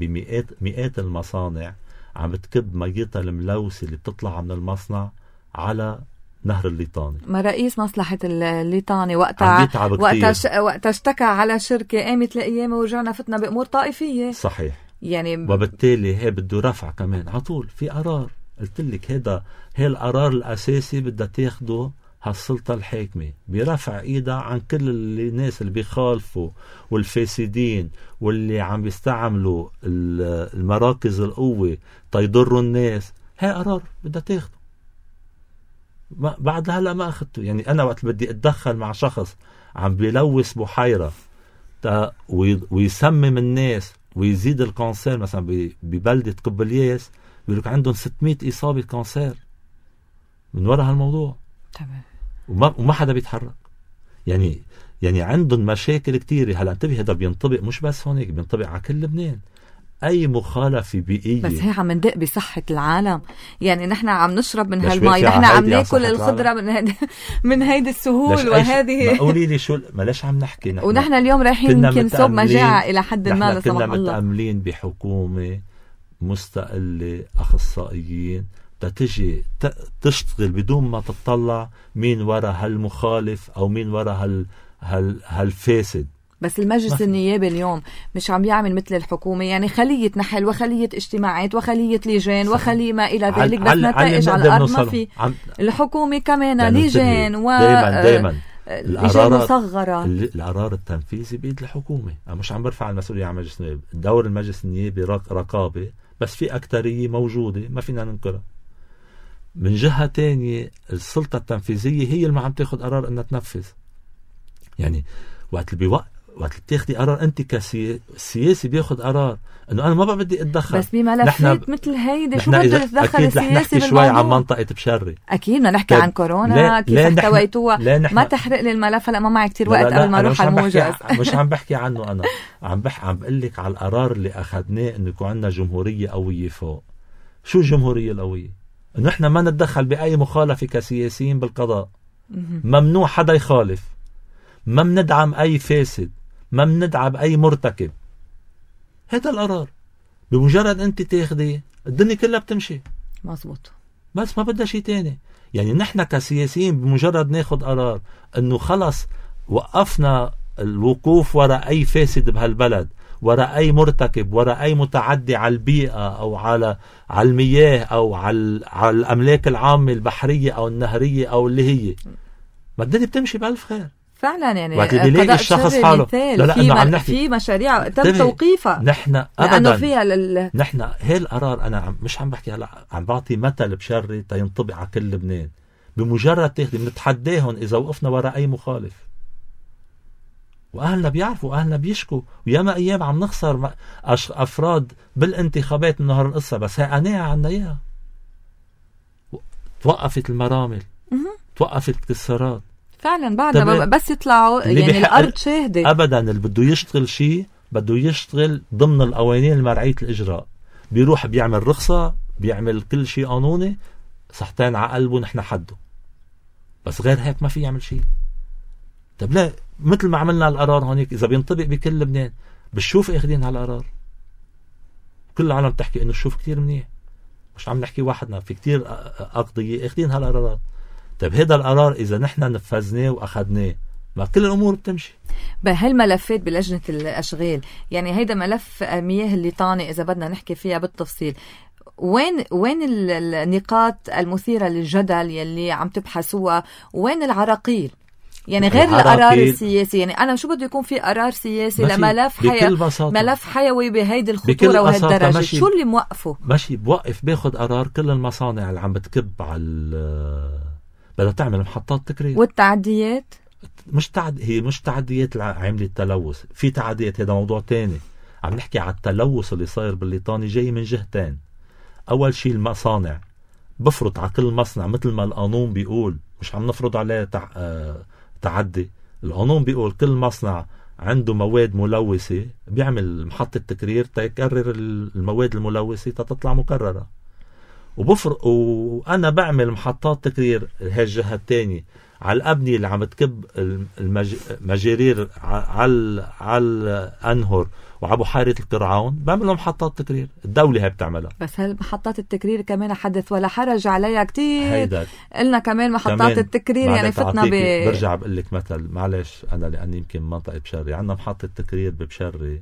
مئات المصانع عم تكب ميتها الملوثة اللي بتطلع من المصنع على نهر الليطاني. ما رئيس مصلحة الليطاني وقتها اشتكى على شركة، قامت لأيامه ورجعنا فتنا بأمور طائفية. صحيح. يعني وبالتالي هي بده رفع كمان عطول في قرار. قلت لك هي القرار الأساسي بدها تاخده هالسلطة الحاكمة برفع إيدها عن كل الناس اللي بيخالفوا والفاسدين واللي عم بيستعملوا المراكز القوة تيضروا الناس. هي قرار بدها تاخده. بعد هلأ ما أخذته. يعني أنا وقت بدي أتدخل مع شخص عم بيلوث بحيرة ويسمم الناس ويزيد الكانسير، مثلا ببلدة قبلياس بيقولك عندهم 600 إصابة كانسير من وراء هالموضوع. تمام. وما حدا بيتحرك. يعني عندهم مشاكل كتيرة. هلا انتبه، هذا بينطبق مش بس هونيك، بينطبق على كل لبنان. أي مخالفة بيئية. بس هي عم ندق بصحة العالم. يعني نحن عم نشرب من هالماء، نحن عم ناكل الخضرة من هيدي السهول وهذه. قولي لي شو ملاش عم نحكي نحن. ونحن اليوم رايحين يمكن صوب مجاعة إلى حد ما لا سمح الله. كنا متأملين بحكومة مستقلة أخصائيين تتجي تشتغل بدون ما تطلع مين وراء هالمخالف أو مين وراء هالفاسد. بس المجلس النيابي اليوم مش عم يعمل مثل الحكومة، يعني خلية نحل وخلية اجتماعات وخلية لجان وخلية ما إلى ذلك، بس نتائج على الأرض ما في. الحكومة كمان لجان دايما لجان مصغرة. القرار التنفيذي بيد الحكومة. أنا مش عم برفع المسؤولية عن مجلس النيابي. دور المجلس النيابي رقابة، بس في أكترية موجودة ما فينا ننكرها. من جهة تانية السلطة التنفيذية هي اللي ما عم تاخد قرار انها تنفذ. يعني وقت تاخدي قرار انت كسياسي بياخد قرار انه انا ما بقى بدي اتدخل، بس بملفات مثل هيدي شو بده يتدخل السياسي بالموضوع؟ شوي عن منطقة بشري، اكيد بدنا نحكي عن كورونا كيف احتويتوها. ما تحرق لي الملف هلا، ما معي كتير وقت قبل ما اروح على الموجز. مش عم بحكي عنه انا، عم بقول لك على القرار اللي اخذناه انه يكون عندنا جمهورية قوية فوق. شو الجمهورية القوية؟ انه احنا ما نتدخل باي مخالفة كسياسيين بالقضاء، ممنوع حدا يخالف، ما بندعم اي فاسد، ما بندعم اي مرتكب. هذا القرار بمجرد انت تاخدي الدنيا كلها بتمشي مزبوط، بس ما بدها شيء تاني. يعني نحن كسياسيين بمجرد ناخد قرار انه خلص وقفنا الوقوف وراء اي فاسد بهالبلد، وراء اي مرتكب، وراء اي متعدي على البيئة او على المياه او على الاملاك العامة البحرية او النهرية او اللي هي، ما الدنيا بتمشي بألف خير فعلا. يعني قضاء الشخص حاله لا في مشاريع تم توقيفها نحن ابدا فيها نحن هي القرار. انا مش عم بحكي هلا، عم بعطي مثل بشري تينطبق على كل لبنان. بمجرد تاخدي بنتحداهم اذا وقفنا وراء اي مخالف، واهلنا بيعرفوا، اهلنا بيشكوا، وياما ايام عم نخسر افراد بالانتخابات من نهار القصه، بس هي قناعه عنا اياها. توقفت المرامل، توقفت الاكتسارات فعلا بعدها بس يطلعوا يعني الارض شاهده. ابدا اللي بده يشتغل شيء بده يشتغل ضمن القوانين المرعيه الاجراء، بيروح بيعمل رخصه، بيعمل كل شيء قانوني، صحتين على قلبه نحن حده، بس غير هيك ما في يعمل شيء. طب لا، مثل ما عملنا القرار هونيك اذا بينطبق بكل لبنان، بالشوف اخذين هالقرار، كل العالم تحكي انه الشوف كتير منيح، مش عم نحكي واحدنا، في كتير اقضيه اخذين هالقرارات. طيب هذا القرار إذا نحن نفذناه وأخذناه، ما كل الأمور بتمشي. بهالملفات بلجنة الأشغال، يعني هيدا ملف مياه الليطاني إذا بدنا نحكي فيها بالتفصيل، وين النقاط المثيرة للجدل يلي عم تبحثوها، وين العراقيل؟ يعني غير القرار السياسي، يعني أنا شو بده يكون في قرار سياسي لملف ملف حيوي بهيدي الخطورة وهالدرجة؟ شو اللي موقفه؟ ماشي بوقف باخد قرار كل المصانع اللي عم بتكب على بدها تعمل محطات تكرير. والتعديات هي مش تعديات عاملة التلوث، في تعديات، هذا موضوع تاني. عم نحكي على التلوث اللي صاير بالليطاني جاي من جهتين. أول شيء المصانع بفرض على كل مصنع مثل ما القانون بيقول، مش عم نفرض عليه تعدي. القانون بيقول كل مصنع عنده مواد ملوثة بيعمل محطة تكرير تيكرر المواد الملوثة تطلع مكررة. وأنا بعمل محطات تكرير هاي الجهة التانية على الأبنية اللي عم تكب المجارير على الأنهر وعلى بحيرة القرعون، بعمل محطات تكرير، الدولة هي بتعملها. بس هالمحطات التكرير كمان حدث ولا حرج عليها كتير. قلنا كمان محطات التكرير يعني فتنا برجع بقول لك مثل، معلش أنا لأني يمكن منطقة بشري، عندنا محطة تكرير ببشري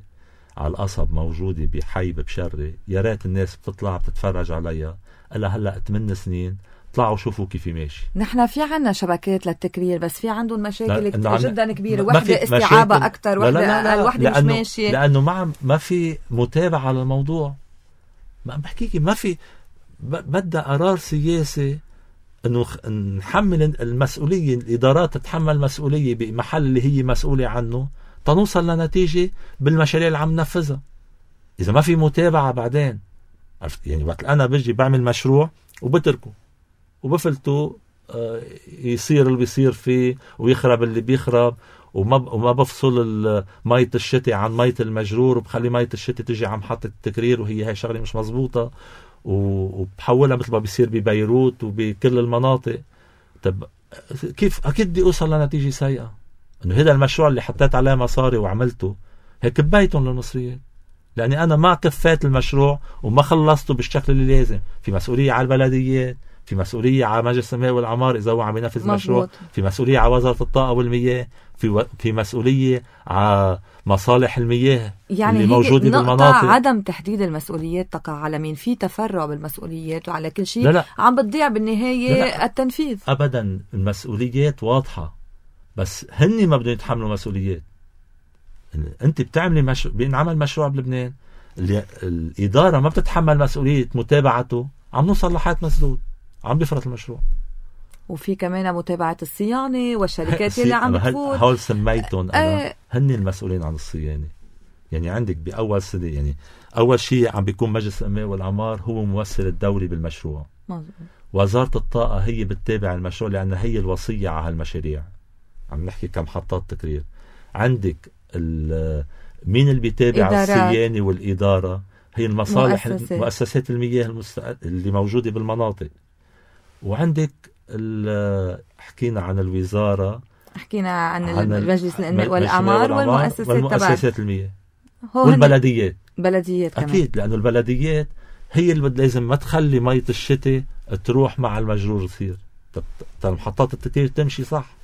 على القصب موجودة بحي ببشري، يا ريت الناس بتطلع بتتفرج عليها. إلا هلأ 8 سنين طلعوا شوفوا كيف ماشي. نحن في عنا شبكات للتكرير، بس في عندهم مشاكل جدا كبيرة، وحدة استيعابها أكتر، وحدة مش ماشية، لأنه ما في متابعة على الموضوع. ما بحكيكي ما في، بدأ قرار سياسي انه نحمل المسؤولية، الإدارات تتحمل مسؤولية بمحل اللي هي مسؤولة عنه، تنوصل لنتيجة بالمشاريع اللي عم ننفذها. إذا ما في متابعة بعدين، يعني وقت أنا بجي بعمل مشروع وبتركه وبفلته يصير اللي بيصير فيه ويخرب اللي بيخرب، وما بفصل مية الشتي عن مية المجرور، وبخلي مية الشتي تجي عم محطة التكرير، وهي هاي شغلة مش مزبوطة، وبحولها مثل ما بيصير ببيروت وبكل المناطق. طب كيف أكيد بدي أوصل لنتيجة سيئة؟ إنه هذا المشروع اللي حطيت عليه مصاري وعملته هيك كبيتهم للمصريين، لأني أنا ما كفيت المشروع وما خلصته بالشكل اللي لازم. في مسؤولية على البلديات، في مسؤولية على مجلس الماء والعمار إذا هو عم ينفذ مشروع، في مسؤولية على وزارة الطاقة والمياه، في مسؤولية على مصالح المياه يعني اللي موجودة بالمناطق. عدم تحديد المسؤوليات تقع على مين؟ في تفرع بالمسؤوليات وعلى كل شيء. لا. عم بتضيع بالنهاية. لا. التنفيذ أبدا، المسؤوليات واضحة، بس هني ما بدهم يتحملوا مسؤوليات. أنت بتعملي بينعمل مشروع بلبنان، الإدارة ما بتتحمل مسؤولية متابعته، عم نوصل لحياة مسدود، عم بيفرط المشروع. وفي كمان متابعة الصيانة والشركات اللي عم بتفوت. هول سميتهم أنا هن المسؤولين عن الصيانة. يعني عندك بأول سنة، يعني أول شيء عم بيكون مجلس الأمناء والأعمار هو ممثل الدولي بالمشروع. مزبوط. وزارة الطاقة هي بتتابع المشروع لأنها هي الوصية على هالمشاريع. عم نحكي كمحطات تكرير. عندك مين اللي بيتابع الصيانة والإدارة؟ هي المصالح مؤسسات المياه اللي موجودة بالمناطق. وعندك حكينا عن الوزارة، حكينا عن مجلس الأمناء والأعمار والمؤسسات المياه والبلديات. بلديات كمان. أكيد، لأنه البلديات هي اللي لازم ما تخلي مية الشتاء تروح مع المجرور يصير المحطات التكرير تمشي صح.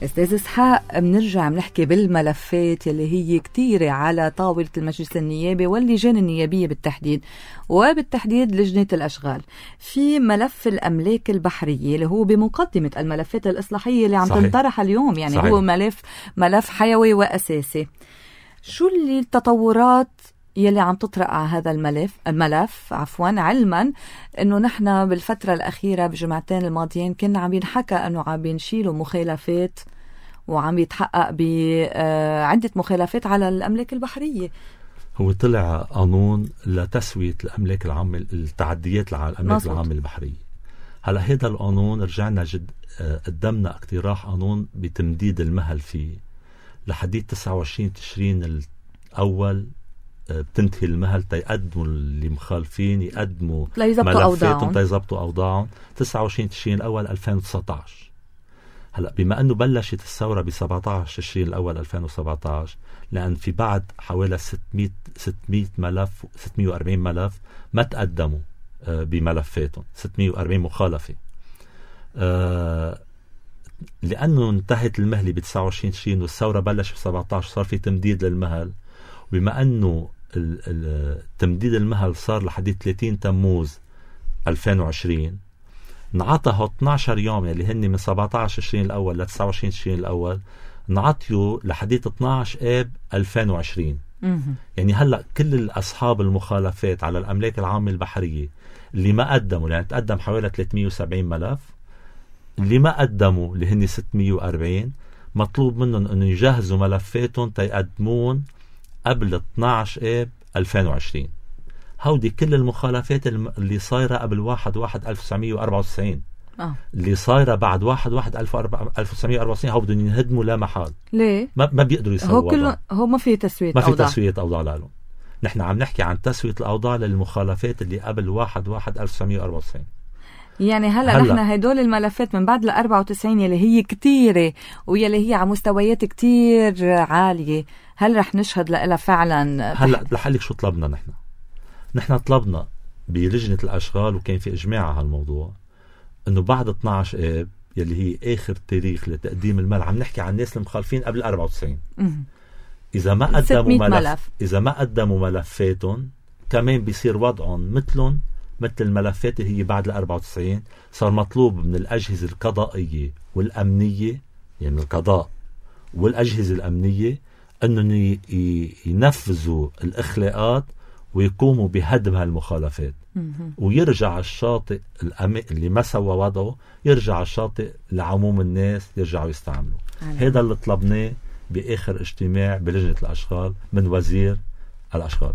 أستاذ إسحاق، بنرجع بنحكي بالملفات اللي هي كتيرة على طاولة المجلس النيابي واللجان النيابية بالتحديد، وبالتحديد لجنة الأشغال. في ملف الأملاك البحرية اللي هو بمقدمة الملفات الإصلاحية اللي عم تنطرح اليوم، يعني صحيح. هو ملف حيوي وأساسي. شو اللي التطورات يلي عم تطرق على هذا الملف علما انه نحن بالفترة الأخيرة بجمعتين الماضيين كنا عم ينحكى انه عم بينشيلوا مخالفات وعم يتحقق بعدة مخالفات على الأملاك البحرية. هو طلع قانون لتسوية الأملاك العامة، التعديات على الأملاك العامة البحرية. هلا هذا القانون رجعنا قدمنا اقتراح قانون بتمديد المهل فيه لحديد 29 تشرين الأول. بتنتهي المهل تيقدموا اللي مخالفين يقدموا ملفاتهم تيزبطوا أوضاعهم 29 تشرين الأول 2019. هلأ بما أنه بلشت الثورة ب 17 تشرين الأول 2017، لأن في بعد حوالي 600 ملف 640 ملف ما تقدموا بملفاتهم، 640 مخالفة. لأنه انتهت المهلة ب 29 تشرين والثورة بلشت ب 17 صار في تمديد للمهل. بما أنه تمديد المهل صار لحد 30 تموز 2020، نعطى 12 يوم اللي هن من 17 تشرين الأول ل 29 تشرين الأول، نعطيه لحد 12 آب 2020. يعني هلأ كل أصحاب المخالفات على الأملاك العامة البحرية اللي ما قدموا، يعني تقدم حوالي 370 ملف، اللي ما قدموا اللي هن 640 مطلوب منهم أنه يجهزوا ملفاتهم تيقدمون قبل 12 آب 2020. هودي كل المخالفات اللي صايرة قبل 1/1/1994 اللي صايرة بعد 1/1/1994 هو بدهم ينهدموا لا محال. ليه؟ ما بيقدروا يسووا. هو ما في تسوية أوضاع. ما في تسوية أوضاع لهم. نحن عم نحكي عن تسوية الأوضاع للمخالفات اللي قبل 1/1/1994. يعني هلأ نحن هدول الملفات من بعد 94 يلي هي كتيرة ويلي هي على مستويات كتير عالية، هل رح نشهد لها فعلا؟ هلأ لحالك شو طلبنا نحن طلبنا بلجنة الأشغال وكان في إجماع على هالموضوع إنه بعد 12 آب يلي هي آخر تاريخ لتقديم المال، عم نحكي عن الناس المخالفين قبل 94. إذا ما قدموا ملفاتهم كمان بيصير وضعهم مثل الملفات اللي هي بعد 94. صار مطلوب من الأجهزة القضائية والأمنية، يعني القضاء والأجهزة الأمنية، أنهم ينفذوا الإخلاقات ويقوموا بهدم هالمخالفات، ويرجع الشاطئ اللي ما سوى وضعه يرجع الشاطئ لعموم الناس يرجعوا يستعملوا. هذا اللي طلبناه بآخر اجتماع بلجنة الأشغال من وزير الأشغال،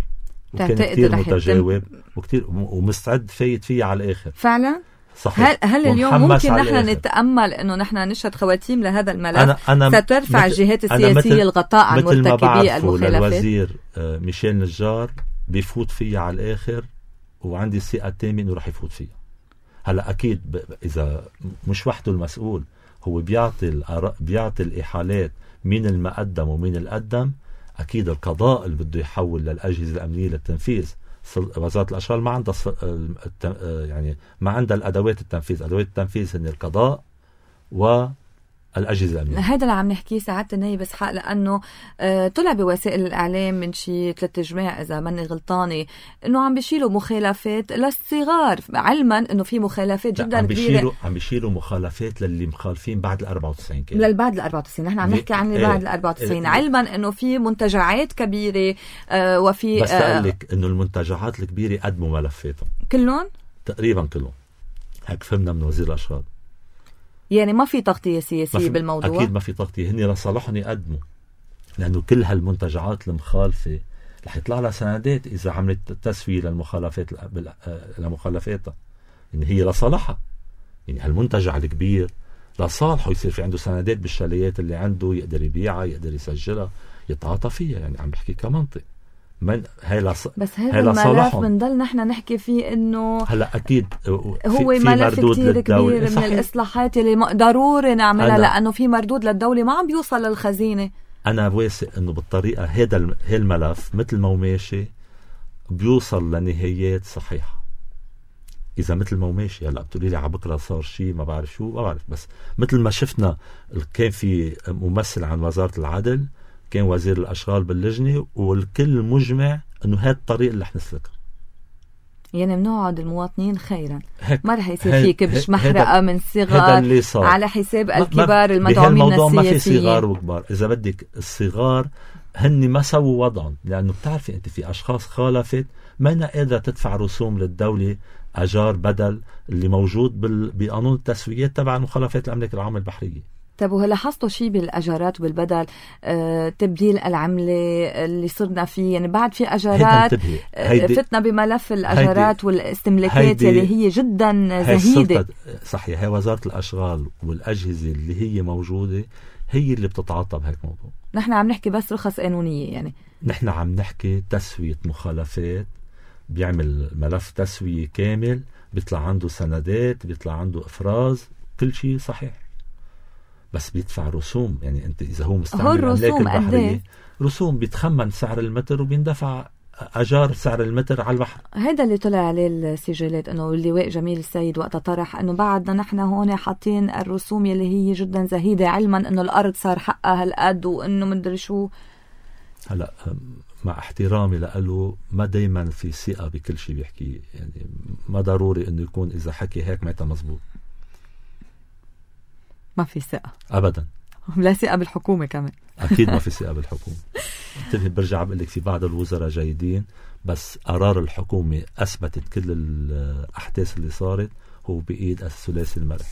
وكان كتير متجاوب وكتير ومستعد فايت فيه على الآخر فعلا. صحيح. هل اليوم ممكن نحن نتأمل أنه نحن نشهد خواتيم لهذا الملف سترفع الجهات السياسية الغطاء عن مرتكبي المخالفات؟ الوزير ميشيل نجار بيفوت فيها على الآخر، وعندي الثقة التامة أنه رح يفوت فيها. هلأ أكيد إذا مش وحده المسؤول، هو بيعطي الإحالات مين المقدم ومين القدم. أكيد القضاء اللي بده يحول للأجهزة الأمنية للتنفيذ. وزارة الأشغال ما عندها يعني ما عندها الأدوات التنفيذ. أدوات التنفيذ هن القضاء والأجهزة الأمنية. هذا اللي عم نحكيه سعادة النائب إسحاق، لأنه طلع بوسائل الإعلام من شي 3 جماع إذا ماني غلطانة إنه عم بيشيلوا مخالفات للصغار، علما إنه في مخالفات جدا كبيرة. عم بيشيلوا مخالفات للي مخالفين بعد 94 كده. بعد 94 نحن عم نحكي عن اللي بعد 94 علما إنه في منتجعات كبيرة وفي بس أقول لك إنه المنتجعات الكبيرة قدموا ملفاتهم كلهم تقريبا كلهم. هيك فهمنا من وزير الأشغال. يعني ما في تغطية سياسية بالموضوع؟ أكيد ما في تغطية. هني لصالحهم يقدموا، لأنه كل هالمنتجعات المخالفة رح يطلع لها سندات إذا عملت تسوية لمخالفاتها. يعني هي لصالحها، يعني هالمنتجع الكبير لصالحه يصير في عنده سندات بالشاليات اللي عنده، يقدر يبيعها، يقدر يسجلها، يتعاطى فيها. يعني عم بحكي كمنطق. بس هذا الملف بنضل نحن نحكي فيه انه هلا اكيد هو ملف كتير كبير من الاصلاحات اللي ضروري نعملها، لانه في مردود للدولة ما عم بيوصل للخزينة. انا واثق انه بالطريقة هذا الملف مثل ما هو ماشي بيوصل لنهايات صحيحة. اذا مثل ما هو ماشي، هلا بتقولي لي على بكره صار شيء ما بعرف شو، ما بعرف، بس مثل ما شفنا كان في ممثل عن وزارة العدل، كان وزير الأشغال باللجنة، والكل مجمع انه هذا الطريق اللي رح نسلكه. يعني بنوعد المواطنين خيرا، ما رح يصير في كبش محرقة من صغار على حساب الكبار المدعومين السياسيين. ما في صغار وكبار، إذا بدك الصغار هن ما سووا وضعهم، لأنه بتعرفي أنت في أشخاص خالفت ما أنا قادرة تدفع رسوم للدولة أجار بدل اللي موجود بقانون التسويات تبع المخالفات الأملاك العامة البحرية. طب ولاحظتوا شيء بالأجارات وبالبدل؟ تبديل العملة اللي صرنا فيه، يعني بعد في أجارات فتنا بملف الأجارات والاستملاكات اللي هي جدا زهيدة. صحيح، هي وزارة الأشغال والأجهزة اللي هي موجودة هي اللي بتتعاطى بهيك موضوع. نحن عم نحكي بس رخص قانونية، يعني نحن عم نحكي تسوية مخالفات. بيعمل ملف تسوية كامل، بيطلع عنده سندات، بيطلع عنده إفراز، كل شيء صحيح، بس بيدفع رسوم. يعني انت اذا هو مستعمل الاملاك البحريه رسوم، بيتخمن سعر المتر وبيندفع اجار سعر المتر على البحر. هذا اللي طلع عليه السجلات، انه اللواء جميل السيد وقت طرح انه بعدنا نحن هون حاطين الرسوم اللي هي جدا زهيده، علما انه الارض صار حقها هالقد وانه مدري شو. هلا مع احترامي له، ما دايما في ثقه بكل شيء بيحكيه، يعني ما ضروري انه يكون اذا حكي هيك معناتها مزبوط. ما في ثقة أبدا، لا ثقة بالحكومة كمان. أكيد ما في ثقة بالحكومة. انتبه، برجع بقول لك في بعض الوزراء جيدين، بس قرار الحكومة أثبتت كل الأحداث اللي صارت هو بإيد الثلاثي المرح.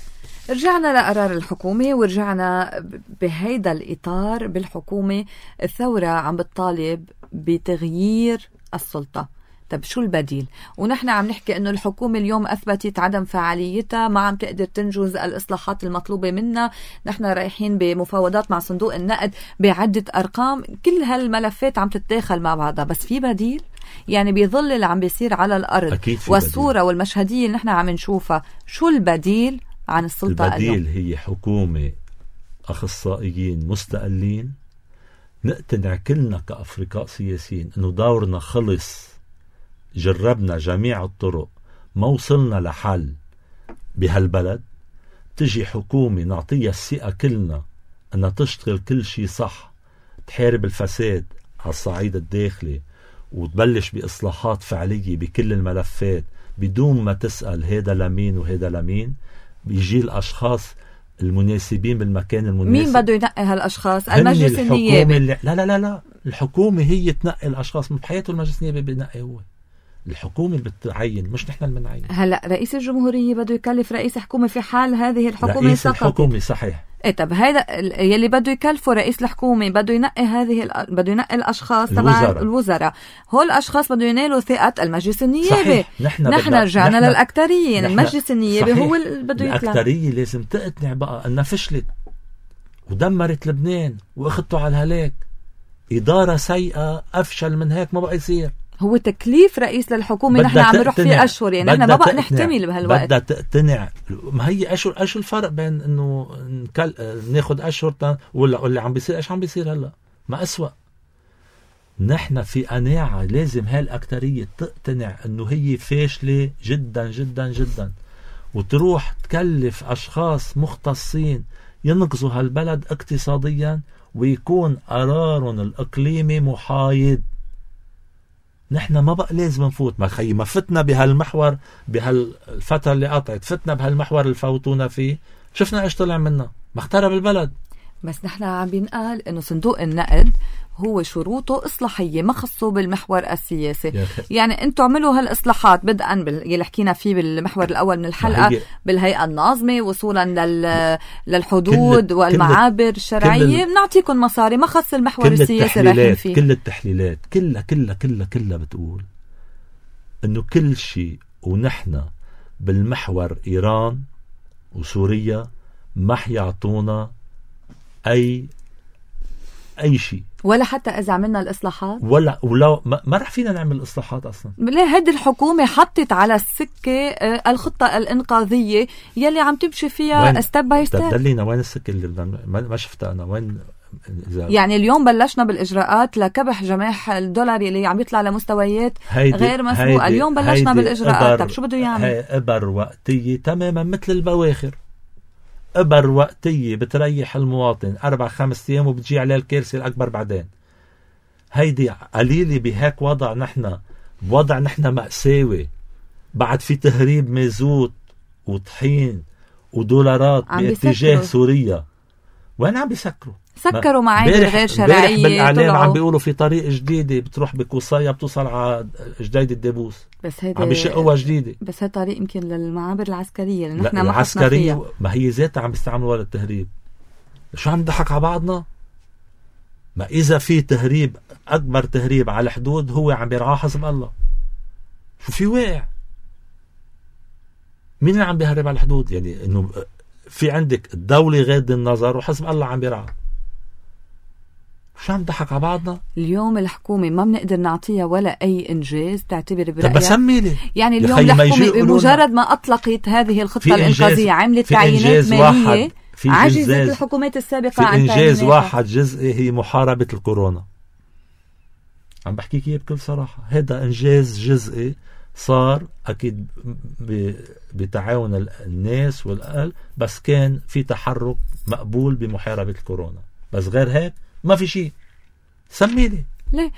رجعنا لقرار الحكومة، ورجعنا بهيدا الإطار بالحكومة. الثورة عم بتطالب بتغيير السلطة. طب شو البديل؟ ونحن عم نحكي انه الحكومة اليوم اثبتت عدم فعاليتها، ما عم تقدر تنجز الاصلاحات المطلوبة منها. نحن رايحين بمفاوضات مع صندوق النقد بعدة ارقام، كل هالملفات عم تتداخل مع بعضها، بس في بديل؟ يعني بيظل اللي عم بيصير على الارض والصورة بديل. والمشهدية اللي نحن عم نشوفها، شو البديل عن السلطة البديل اليوم؟ هي حكومة اخصائيين مستقلين، نقتنع كلنا كأفرقاء سياسيين انه دورنا خلص، جربنا جميع الطرق، ما وصلنا لحل بهالبلد. تجي حكومة نعطيها الثقة كلنا أنها تشتغل كل شيء صح، تحارب الفساد على الصعيد الداخلي، وتبلش بإصلاحات فعلية بكل الملفات بدون ما تسأل هيدا لمين وهيدا لمين. بيجي الأشخاص المناسبين بالمكان المناسب. مين بده ينقي هالأشخاص؟ المجلس النيابي؟ لا، الحكومة هي تنقي الأشخاص. من بحياته المجلس النيابي بينقي هو، الحكومة اللي بتعين، مش نحن اللي بنعين. هلا رئيس الجمهورية بده يكلف رئيس حكومة في حال هذه الحكومة رئيس سقطت. الحكومة صحيح. طب هذا يلي بده يكلفه رئيس الحكومة بده ينقي بده ينقي الاشخاص تبع الوزراء. هول الاشخاص بده ينالوا ثقة المجلس النيابي. نحن رجعنا للأكترية، يعني المجلس النيابي هو اللي بده يطلع. الأكترية لازم تقتنع بقى انها فشلت ودمرت لبنان واخذته على الهلاك. إدارة سيئة، أفشل من هيك ما بقى يصير. هو تكليف رئيس للحكومة. نحن عم نروح فيه أشهر، يعني نحن ما بقى نحتمل بهالوقت. بدها تقتنع. ما هي أشهر، شو الفرق بين إنه ناخد أشهر ولا عم بيصير؟ إيش عم بيصير هلا؟ ما أسوأ. نحن في قناعة لازم هالأكترية تقتنع إنه هي فاشلة جدا جدا جدا، وتروح تكلف أشخاص مختصين ينقذوا هالبلد اقتصاديا، ويكون قرارهم الإقليمي محايد. نحن ما بقى لازم نفوت. ما فتنا بهالمحور بهالفترة اللي قطعت، فتنا بهالمحور اللي فوتونا فيه، شفنا ايش طلع منا، ما اخترب البلد. بس نحن عم بنقال انه صندوق النقد هو شروطه إصلاحية ما خصه بالمحور السياسي. يعني انتم عملوا هالإصلاحات بدءا يلي حكينا فيه بالمحور الأول من الحلقة بالهيئة الناظمة وصولا للحدود والمعابر الشرعية، بنعطيكم مصاري، ما خص المحور السياسي رايحين فيه. كل التحليلات كلها بتقول انه كل شيء ونحن بالمحور إيران وسوريا ما حيعطونا أي شيء، ولا حتى إذا عملنا الإصلاحات ولا ما رح فينا نعمل إصلاحات أصلا. ليه هيدي الحكومة حطت على السكة الخطة الإنقاذية يلي عم تمشي فيها ستيب باي ستيب. دلينا وين السكة اللي ما شفتها أنا وين؟ يعني اليوم بلشنا بالإجراءات لكبح جماح الدولار اللي عم يطلع لمستويات غير مسبوقة. اليوم بلشنا بالإجراءات. طب شو بده يعمل؟ هي إبر وقتية تماما مثل البواخر، إبر وقتية بتريح المواطن 4-5 أيام وبتجي عليه الكارثة الأكبر بعدين. هيدي قليلة بهيك وضع، نحن مأساوي، بعد في تهريب مازوت وطحين ودولارات باتجاه سوريا. وين عم بيسكروا؟ سكروا معايير غير شرعية. بالإعلام عم بيقولوا في طريق جديدة بتروح بكوصايا بتوصل على جديد الدبوس، بس هيدا عم بيشقوها جديدة. بس هي طريق يمكن للمعابر العسكرية اللي نحن العسكرية ما هي ذاتها عم بيستعملوها للتهريب. شو عم نضحك على بعضنا؟ ما إذا في تهريب، أكبر تهريب على الحدود هو عم بيرعاه حزب الله. شو في واقع؟ مين اللي عم بيهرب على الحدود؟ يعني إنه في عندك الدولة غاد النظر وحزب الله عم بيرعاه. شو عم نضحك على بعضنا؟ اليوم الحكومة ما بنقدر نعطيها ولا أي إنجاز تعتبر برأيها. طب بسمي لي يعني اليوم الحكومة بمجرد ما أطلقت هذه الخطة الإنقاذية عملت تعيينات مالية عجزت الحكومات السابقة عن في إنجاز واحد جزئي، هي محاربة الكورونا. عم بحكيك إياه بكل صراحة، هذا إنجاز جزئي صار أكيد بتعاون الناس والأهل، بس كان في تحرك مقبول بمحاربة الكورونا. بس غير هيك ما في شيء. سميلي ليه؟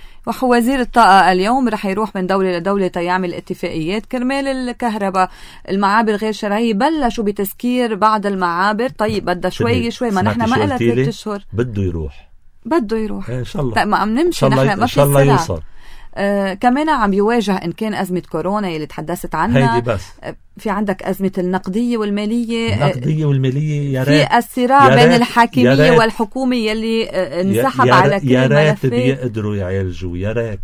وزير الطاقة اليوم رح يروح من دولة لدولة يعمل اتفاقيات كرمال الكهرباء. المعابر غير شرعية بلشوا بتسكير بعض المعابر. طيب بدها شوي ما نحن ما قلت 3 أشهر بده يروح إن شاء الله. طيب ما عم نمشي نحن، ما في سرعة. كمان عم يواجه إن كان أزمة كورونا اللي تحدثت عنها، هيدي بس في عندك أزمة النقدية والمالية. يا ريت في الصراع بين الحاكمية والحكومة يلي انسحب على كل الملفات. يا ريت بيقدروا يعالجوا، يا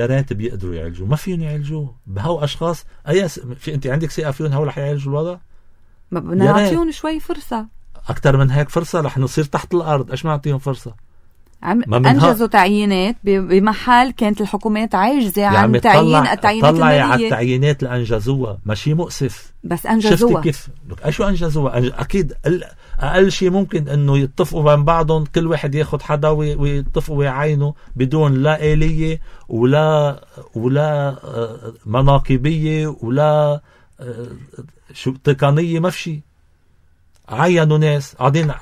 ريت بيقدروا يعالجوا. ما فيهم يعالجوا بهو أشخاص في أنت عندك ثقة فيهم هو رح يعالجوا الوضع؟ ما بدنا نعطيهم شوي فرصة أكتر من هيك فرصة. رح نصير تحت الأرض. إيش ما نعطيهم فرصة؟ أنجزوا تعيينات بمحل كانت الحكومات عاجزة عن تعيين التعيينات المالية. على التعيينات اللي أنجزوها، ماشي مؤسف، بس أنجزوها. شفتي كيف؟ شو أنجزوها؟ أكيد أقل شيء ممكن إنه يتفقوا بين بعضهم، كل واحد ياخد حدا ويتفقوا ويعينوا بدون لا آلية ولا مناقبية ولا شو تقنية. ما في شيء. عينوا ناس قاعدين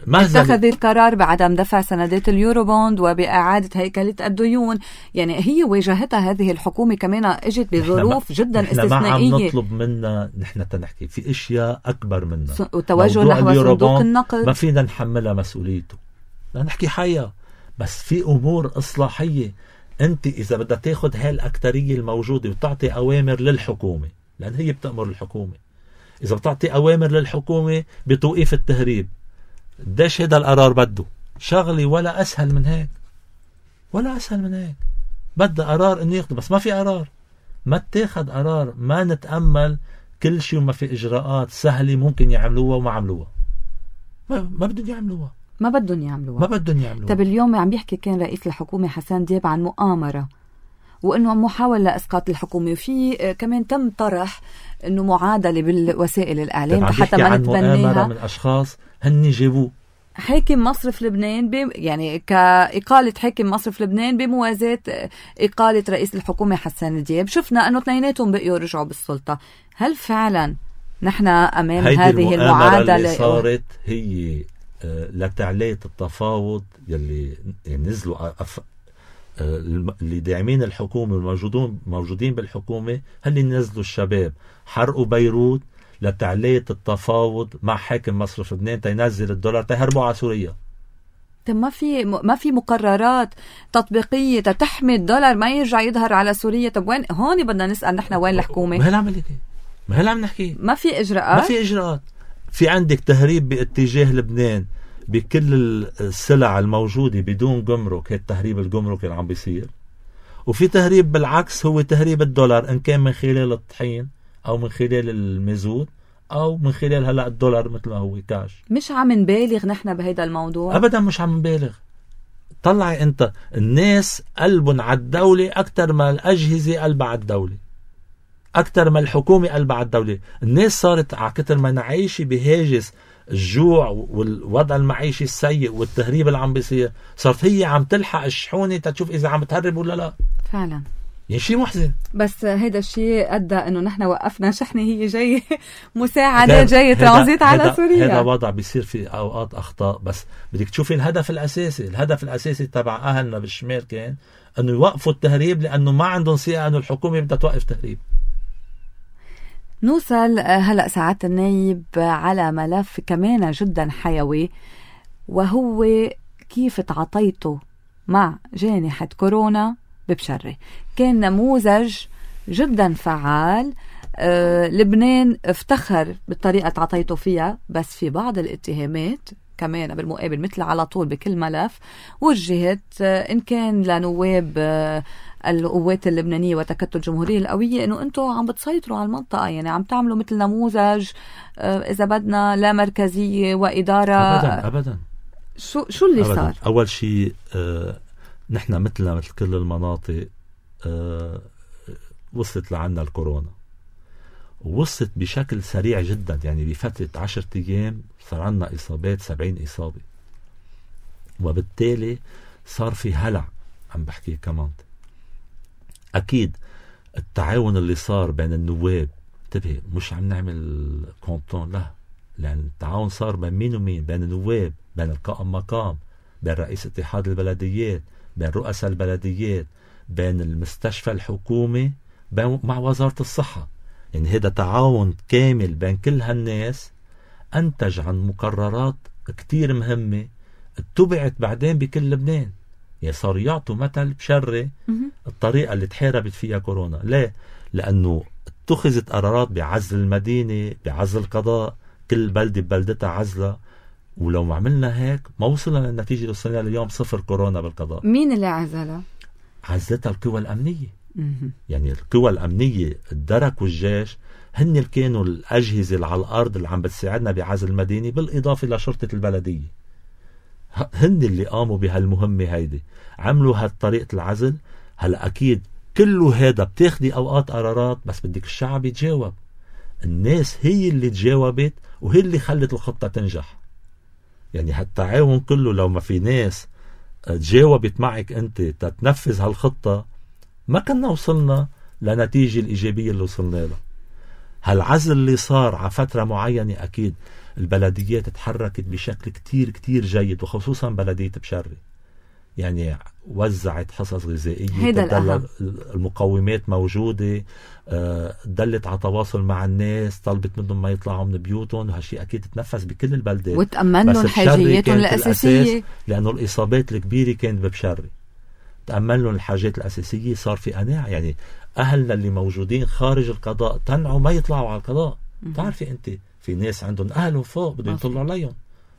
اتخذ القرار بعدم دفع سندات اليورو بوند وبإعادة هيكلة الديون. يعني هي واجهتها هذه الحكومة كمان اجت بظروف جدا استثنائية. ما عم نطلب منا نحن تنحكي في اشياء اكبر منا، والتوجه نحو صندوق النقد ما فينا نحملها مسؤوليته، بدنا نحكي حياة. بس في امور اصلاحية انت اذا بدها تاخد هاي الاكترية الموجودة وتعطي اوامر للحكومة، لان هي بتأمر الحكومة، اذا بتعطي اوامر للحكومة بتوقيف التهريب، قديش هذا القرار بده شغلي ولا أسهل من هيك، بدأ قرار إنه ياخده. بس ما في قرار، ما تاخد قرار، ما نتأمل كل شيء وما في إجراءات سهلة ممكن يعملوها وما عملوها. ما بدهم يعملوها. طب اليوم عم بيحكي كان رئيس الحكومة حسن دياب عن مؤامرة وإنه محاولة لإسقاط الحكومة، وفي كمان تم طرح إنه معادلة بالوسائل الإعلام حتى ما نتبنيها. مؤامرة من أشخاص هني جابوه حاكم مصرف لبنان يعني كإقالة حاكم مصرف لبنان بموازاة إقالة رئيس الحكومة حسن دياب. شفنا أنه اثنيناتهم بقيوا رجعوا بالسلطة. هل فعلا نحن أمام هذه المعادلة اللي صارت هي لتعلية التفاوض يلي نزلوا اللي داعمين الحكومة والموجودين بالحكومة؟ هل نزلوا الشباب حرقوا بيروت لتعلية التفاوض مع حاكم مصرف لبنان تينزل الدولار تيهربوا على سوريا. ما في مقررات تطبيقية تحمي الدولار ما يرجع يظهر على سوريا. طب وين هون بدنا نسأل نحن وين الحكومة؟ ما هي العمل هيك، ما هي اللي عم نحكي. ما في إجراءات، في عندك تهريب باتجاه لبنان بكل السلع الموجودة بدون جمرك، هي التهريب الجمركي اللي عم بيصير. وفي تهريب بالعكس، هو تهريب الدولار، إن كان من خلال الطحين أو من خلال المازوت أو من خلال هلأ الدولار مثل ما هو كاش. مش عم نبالغ نحن بهيدا الموضوع أبدا، مش عم نبالغ. طلعي أنت الناس قلبهم على الدولة أكتر ما الأجهزة قلبها على الدولة، أكتر ما الحكومة قلبها على الدولة. الناس صارت على كتر ما نعيشي بهاجس الجوع والوضع المعيشي السيء والتهريب اللي عم بيصير، صارت هي عم تلحق الشحونة تشوف إذا عم تهرب ولا لا. فعلا يعني شيء محزن. بس هيدا الشيء أدى أنه نحن وقفنا شحنة هي جاي مساعدة، جاي ترانزيت على سوريا. هذا وضع بيصير في أوقات أخطاء، بس بدك تشوفي الهدف الأساسي تبع أهلنا بالشمال كان أنه يوقفوا التهريب، لأنه ما عندهم ثقة أنه الحكومة بدها توقف تهريب. نوصل هلأ سعادة النايب على ملف كمان جدا حيوي، وهو كيف تعاطيته مع جائحة كورونا ببشرة. كان نموذج جدا فعال. لبنان افتخر بالطريقة تعاطيته فيها، بس في بعض الاتهامات كمان بالمقابل مثل على طول بكل ملف وجهت، إن كان لنواب القوات اللبنانية وتكتل الجمهورية القوية، إنه أنتوا عم بتسيطروا على المنطقة، يعني عم تعملوا مثل نموذج إذا بدنا لا مركزية وإدارة. أبدا. شو اللي أبداً. صار؟ أول شيء نحن مثل كل المناطق وصلت لعنا الكورونا، ووصلت بشكل سريع جدا. يعني بفترة 10 أيام صار عنا إصابات 70 إصابة، وبالتالي صار في هلع. عم بحكي كمان أكيد التعاون اللي صار بين النواب، انتبه مش عم نعمل كونتون، لا، لأن التعاون صار بين مين ومين، بين النواب، بين القائم مقام، بين رئيس اتحاد البلديات، بين رؤساء البلديات، بين المستشفى الحكومي، مع وزارة الصحة. يعني هذا تعاون كامل بين كل هالناس أنتج عن مقررات كتير مهمة اتبعت بعدين بكل لبنان. يعني صار يعطوا مثل بشرة الطريقة اللي تحاربت فيها كورونا. ليه؟ لأنه اتخذت قرارات بعزل المدينة، بعزل القضاء، كل بلدة ببلدتها عزلة. ولو ما عملنا هيك ما وصلنا للنتيجة اللي وصلنا اليوم، 0 كورونا بالقضاء. مين اللي عزلها؟ عزلتها القوى الأمنية. يعني القوى الأمنية، الدرك والجيش، هن اللي كانوا الأجهزة اللي على الأرض اللي عم بتساعدنا بعزل المدينة، بالإضافة لشرطة البلدية. هن اللي قاموا بهالمهمة هيدي، عملوا هالطريقة العزل. هلأ أكيد كله هذا بتاخدي أوقات قرارات، بس بدك الشعب يتجاوب. الناس هي اللي تجاوبت وهي اللي خلت الخطة تنجح. يعني هالتعاون كله لو ما في ناس تجاوبت معك أنت تتنفذ هالخطة، ما كنا وصلنا لنتيجة الإيجابية اللي وصلنا لها. هالعزل اللي صار على فترة معينة، أكيد البلديات تحركت بشكل كتير كتير جيد، وخصوصا بلدية بشرة. يعني وزعت حصص غذائية، المقومات موجودة، دلت على تواصل مع الناس، طلبت منهم ما يطلعوا من بيوتهم، وهالشيء أكيد تنفذ بكل البلدات، وتأمن لهم حاجياتهم الأساسية، لأنه الإصابات الكبيرة كانت ببشرة. تأمن لهم الحاجات الأساسية. صار في قناعة، يعني أهلنا اللي موجودين خارج القضاء تنعوا ما يطلعوا على القضاء. تعرفي أنت في ناس عندهم أهلهم فوق بدهم يطلعوا عليهم،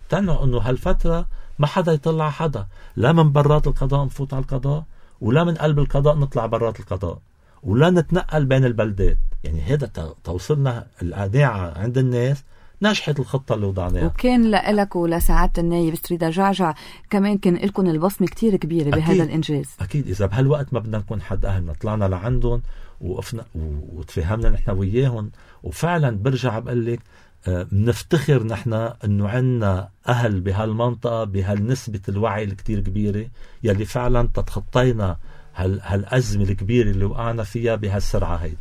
تنعوا أنه هالفترة ما حدا يطلع حدا، لا من برات القضاء نفوت على القضاء، ولا من قلب القضاء نطلع برات القضاء، ولا نتنقل بين البلدات. يعني هذا توصلنا القناعة عند الناس، نجحت الخطة اللي وضعناها. وكان لك ولسعادة النايب ستريدا جعجع كمان كان لكم البصمة كتير كبيرة بهذا الإنجاز. أكيد إذا بهالوقت ما بدنا نكون حد أهلنا، طلعنا لعندهم وقفنا وتفهمنا نحن وياهم. وفعلا برجع بقول لك بنفتخر نحن أنه عنا أهل بهالمنطقة بهالنسبة الوعي الكتير كبيرة، يلي فعلا تتخطينا هالأزمة الكبيرة اللي وقعنا فيها بهالسرعة هيدي.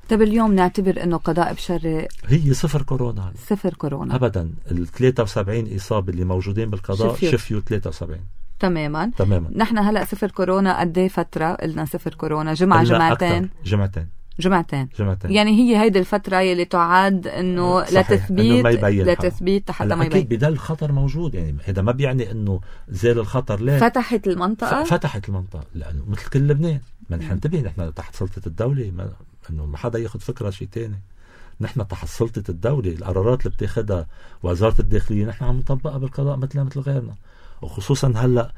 طب اليوم نعتبر أنه قضاء بشرة هي 0 كورونا. 0 كورونا أبدا. 73 إصابة اللي موجودين بالقضاء شفيوا 73 تماما. نحن هلأ 0 كورونا قد ايه فترة؟ قلنا 0 كورونا جمعتين. جمعتين. يعني هي هيدي الفترة يلي تعاد انه لتثبيت حتى ما يبين. اكيد بدل الخطر موجود، يعني هذا ما بيعني انه زال الخطر. لا، فتحت المنطقة لانه مثل كل لبنان. ما نحن انتبه، نحن تحت سلطة الدولة، انه ما حدا ياخد فكرة شيء تاني. نحن تحت سلطة الدولة، القرارات اللي بتاخدها وزارة الداخلية نحن عم نطبقها بالقضاء مثل غيرنا. وخصوصا هلأ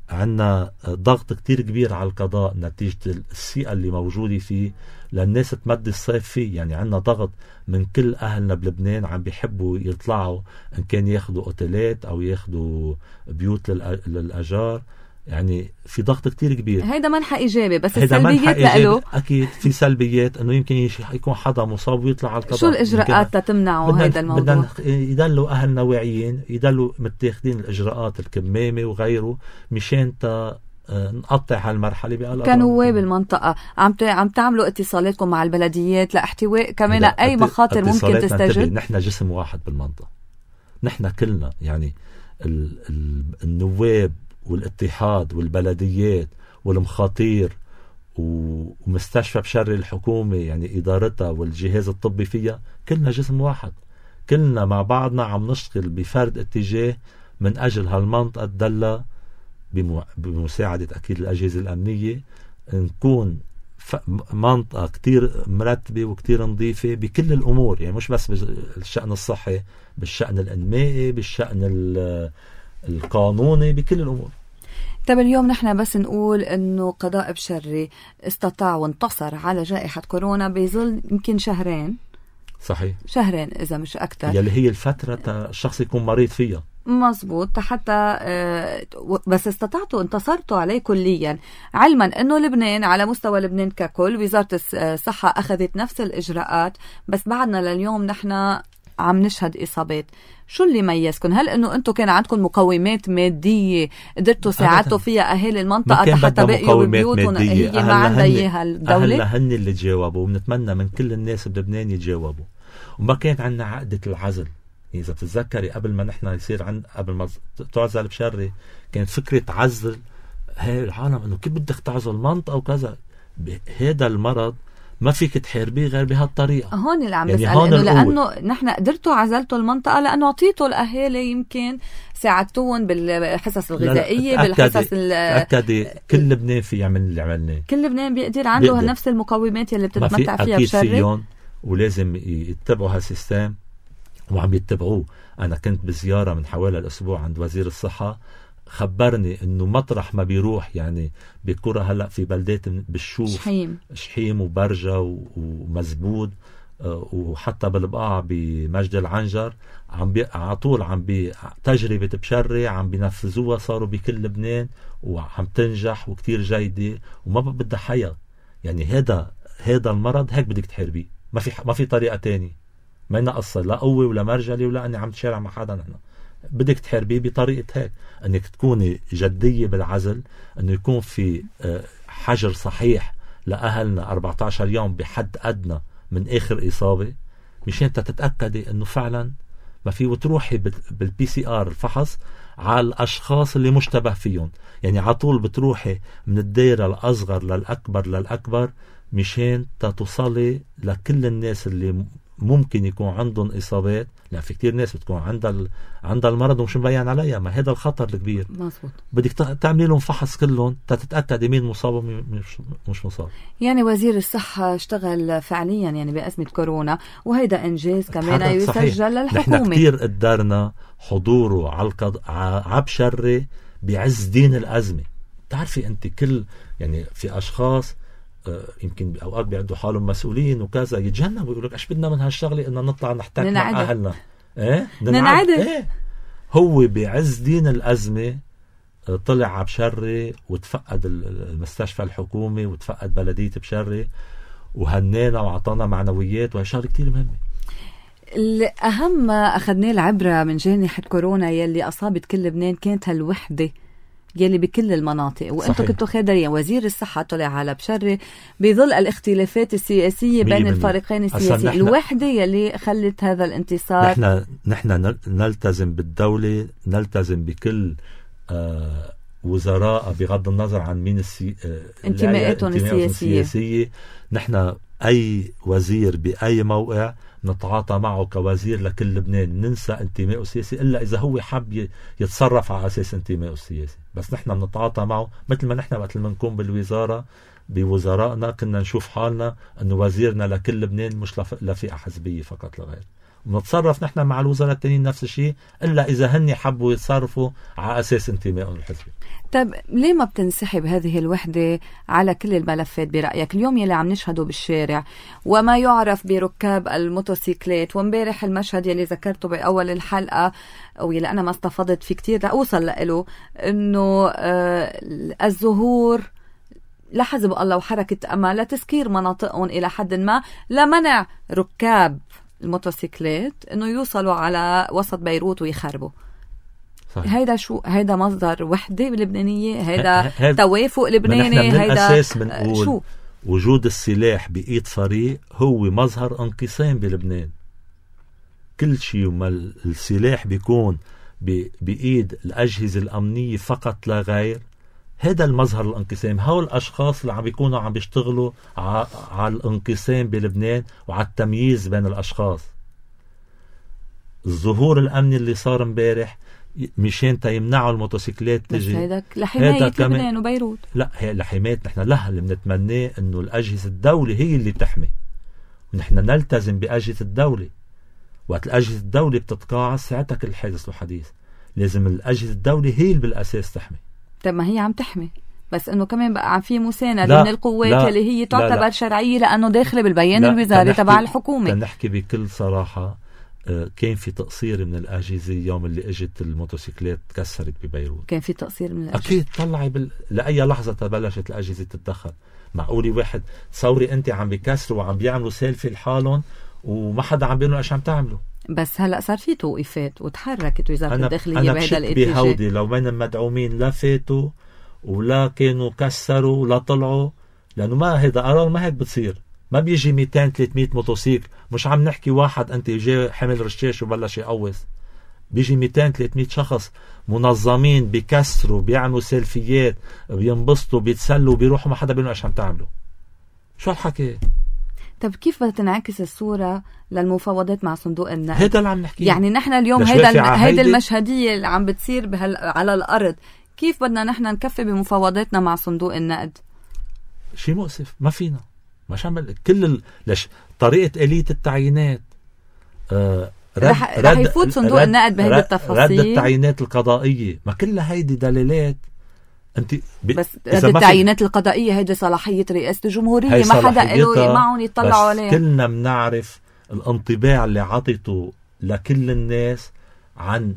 عنا ضغط كتير كبير على القضاء نتيجة الثقة اللي موجودة فيه للناس تمدي الصيف فيه. يعني عنا ضغط من كل أهلنا بلبنان عم بيحبوا يطلعوا، إن كان ياخدوا أوتيلات أو ياخدوا بيوت للأجار. يعني في ضغط كتير كبير. هيدا منحى إيجابي، بس السلبيات لأله أكيد في سلبيات، إنه يمكن يكون حدا مصاب ويطلع على القضاء. شو الإجراءات تمنعه هيدا الموضوع؟ بدنا يدلوا أهلنا واعيين، يدلوا متاخدين الإجراءات الكمامة وغيره مشان نقطع هالمرحلة بقى. كنواب المنطقة عم تعملوا اتصالاتكم مع البلديات لاحتواء كمان أي مخاطر ممكن تستجد؟ نحن جسم واحد بالمنطقة، نحن كلنا، يعني النواب والاتحاد والبلديات والمخاطير ومستشفى بشري الحكومة، يعني إدارتها والجهاز الطبي فيها، كلنا جسم واحد. كلنا مع بعضنا عم نشتغل بفرد اتجاه من أجل هالمنطقة تدلى بمساعدة أكيد الأجهزة الأمنية، نكون منطقة كتير مرتبة وكتير نظيفة بكل الأمور. يعني مش بس بالشأن الصحي، بالشأن الإنمائي، بالشأن القانوني، بكل الأمور. طب اليوم نحن بس نقول انه قضاء بشري استطاع وانتصر على جائحة كورونا بظل يمكن شهرين. صحيح، شهرين اذا مش اكتر، يلي هي الفترة الشخص يكون مريض فيها. مزبوط. حتى بس استطعتوا انتصرتوا عليه كليا، علما انه لبنان على مستوى لبنان ككل وزارة الصحة اخذت نفس الاجراءات، بس بعدنا لليوم نحن عم نشهد إصابات. شو اللي ميزكم؟ هل إنه أنتم كان عندكم مقومات مادية قدرتوا ساعدتوا فيها أهالي المنطقة حتى بقيوا ببيوتهم؟ هي ما عندها إياها الدولة. أهلها هن اللي تجاوبوا، ونتمنى من كل الناس بلبنان يتجاوبوا. وما كان عندنا عقدة العزل. إذا بتتذكري قبل ما نحن يصير قبل ما تعزل بشري، كانت فكرة عزل هاي العالم إنه كيف بدك تعزل منطقة وكذا. هذا المرض ما فيك تحاربيه غير بهالطريقة. هون اللي عم بسأل، إنه لأنه نحن قدرتوا عزلتوا المنطقة لأنه عطيتوا الأهالي، يمكن ساعدتوهم بالحصص الغذائية، بالحصص تأكدي كل لبنان في يعمل اللي عملناه. كل لبنان بيقدر عنده نفس المقومات اللي بتتمتع فيها بشري. فيهم ولازم يتبعوا هالسيستم وعم يتبعوه. أنا كنت بزيارة من حوالي الأسبوع عند وزير الصحة، خبرني انه مطرح ما بيروح، يعني بكرة هلأ في بلدات بالشوف، شحيم وبرجة ومزبود، وحتى بالبقاع بمجد العنجر، على طول تجربة بشري عم بينفذوها، صاروا بكل لبنان وعم تنجح وكتير جيدة وما بدها حياة. يعني هذا المرض هيك بدك تحاربيه، ما في طريقة تاني. ما ينقص لا قوة ولا مرجلة ولا أني عم تشارع مع حدا. نحن بدك تحاربيه بطريقة هيك، أنك تكوني جدية بالعزل، أنه يكون في حجر صحيح لأهلنا 14 يوم بحد أدنى من آخر إصابة، مشان تتأكدي أنه فعلا ما في، وتروحي بالPCR الفحص على الأشخاص اللي مشتبه فيهم. يعني على طول بتروحي من الدائرة الأصغر للأكبر مشان تصلي لكل الناس اللي ممكن يكون عندهم إصابات. لا، في كتير ناس بتكون عندها المرض ومش مبين عليها. ما هذا الخطر الكبير. مظبوط. بدك تعملي لهم فحص كلهم تتأكد مين مصاب ومش مصاب. يعني وزير الصحة اشتغل فعليا يعني بأزمة كورونا، وهيدا إنجاز كمان يسجل للحكومة. نحن كتير قدرنا حضوره على بشري بعز دين الأزمة. تعرفي أنت يعني في أشخاص يمكن أوقات بيعدوا حالهم مسؤولين وكذا، يتجنبوا يقولك ايش بدنا من هالشغلة إنه نطلع نحتاج مع أهلنا. ننعدل. هو بعز دين الأزمة طلع بشري وتفقد المستشفى الحكومي وتفقد بلدية بشري وهنينا وعطانا معنويات، وهي شغلة كتير مهمة. الأهم ما أخذناه العبرة من جائحة كورونا يلي أصابت كل لبنان كانت هالوحدة يلي بكل المناطق، وانتم كنتوا خادرين. وزير الصحة طلع على بشري بظل الاختلافات السياسية بين الفريقين السياسيين، الوحدة يلي خلت هذا الانتصار. نحن نلتزم بالدولة، نلتزم بكل وزراء بغض النظر عن مين انتماءاتهم السياسية. نحن أي وزير بأي موقع نتعاطى معه كوزير لكل لبنان، ننسى انتمائه السياسي إلا إذا هو حب يتصرف على أساس انتمائه السياسي. بس نحن بنتعاطى معه مثل ما نحن وقت نكون بالوزارة بوزرائنا كنا نشوف حالنا أنه وزيرنا لكل لبنان مش لفئة حزبية فقط لغير. ونتصرف نحن مع الوزراء التانيين نفس الشيء إلا إذا هني حبوا يتصرفوا على أساس انتمائهم الحزبي. طيب ليه ما بتنسحب هذه الوحدة على كل الملفات برأيك؟ اليوم يلي عم نشهده بالشارع وما يعرف بركاب الموتوسيكلات، ومبارح المشهد يلي ذكرته بأول الحلقة ويلي أنا ما استفضت فيه كتير لأوصل له، إنه الظهور لحزب الله وحركة أمل لتسكير مناطقهم إلى حد ما لمنع ركاب الموتوسيكلات إنه يوصلوا على وسط بيروت ويخربوا. هيدا شو؟ هيدا مصدر وحدة لبنانية؟ هيدا توافق لبناني؟ هيدا أساس منقول شو؟ وجود السلاح بإيد فريق هو مظهر انقسام بلبنان. كل شيء وما السلاح بيكون بإيد الأجهزة الأمنية فقط لا غير، هذا المظهر الانقسام. هؤلاء الأشخاص اللي عم بيكونوا عم بيشتغلوا على الانقسام بلبنان وعلى التمييز بين الأشخاص. الظهور الأمني اللي صار امبارح مشان يمنعوا الموتوسيكلات تجي، بس هيدا لحماية لبنان وبيروت. لا، هي لحماية. نحن اللي بنتمناه انه الأجهزة الدولة هي اللي تحمي، ونحن نلتزم بأجهزة الدولة. وقت الأجهزة الدولة بتتقاعس ساعتها كل حادث له حديث. لازم الأجهزة الدولة هي اللي بالأساس تحمي. طب ما هي عم تحمي، بس انه كمان بقى عم في مساندة من القوات اللي هي تعتبر شرعية لأنه داخلة بالبيان الوزاري تبع الحكومة. نحكي بكل صراحة، كان في تقصير من الأجهزة يوم اللي اجت الموتوسيكلات تكسرت ببيروت. كان في تقصير من الأجهزة أكيد. طلعي لأي لحظة تبلشت الأجهزة تتدخل. معقولي واحد تصوري أنت عم بيكسروا وعم بيعملوا سيلفي لحالهم وما حدا عم بيقولوا إيش عم تعملوا؟ بس هلأ صار في توقيفات وتحركت وزارة الداخلية بهذا الاتجاه. أنا بهودي لو من المدعومين لا فاتوا ولا كانوا كسروا ولا طلعوا، لأنه ما هيدا قرار، ما هيك بتصير. ما بيجي 200-300 موتوسيكل. مش عم نحكي واحد أنت جاي حمل رشاش وبلش يقوص. بيجي 200-300 شخص منظمين بيكسروا بيعملوا سيلفيات بينبسطوا بيتسلوا بيروحوا، ما حدا بيقولوا إيش عم تعملوا. شو الحكي؟ طب كيف بدها تنعكس الصورة للمفاوضات مع صندوق النقد؟ هيدا اللي عم نحكي. يعني نحن اليوم هيدا المشهدية اللي عم بتصير على الأرض، كيف بدنا نحن نكفي بمفاوضاتنا مع صندوق النقد؟ شيء مؤسف. ما فينا. مش عمل ليش طريقة آلية التعيينات. رح يفوت صندوق النقد بهيدي التفاصيل. رد التعيينات القضائية، ما كلها هيدي دلالات. انت بس رد التعيينات القضائية هيدي صلاحية رئاسة الجمهورية، ما حدا قالوا معهم يطلعوا عليها. كلنا بنعرف الانطباع اللي عطيته لكل الناس عن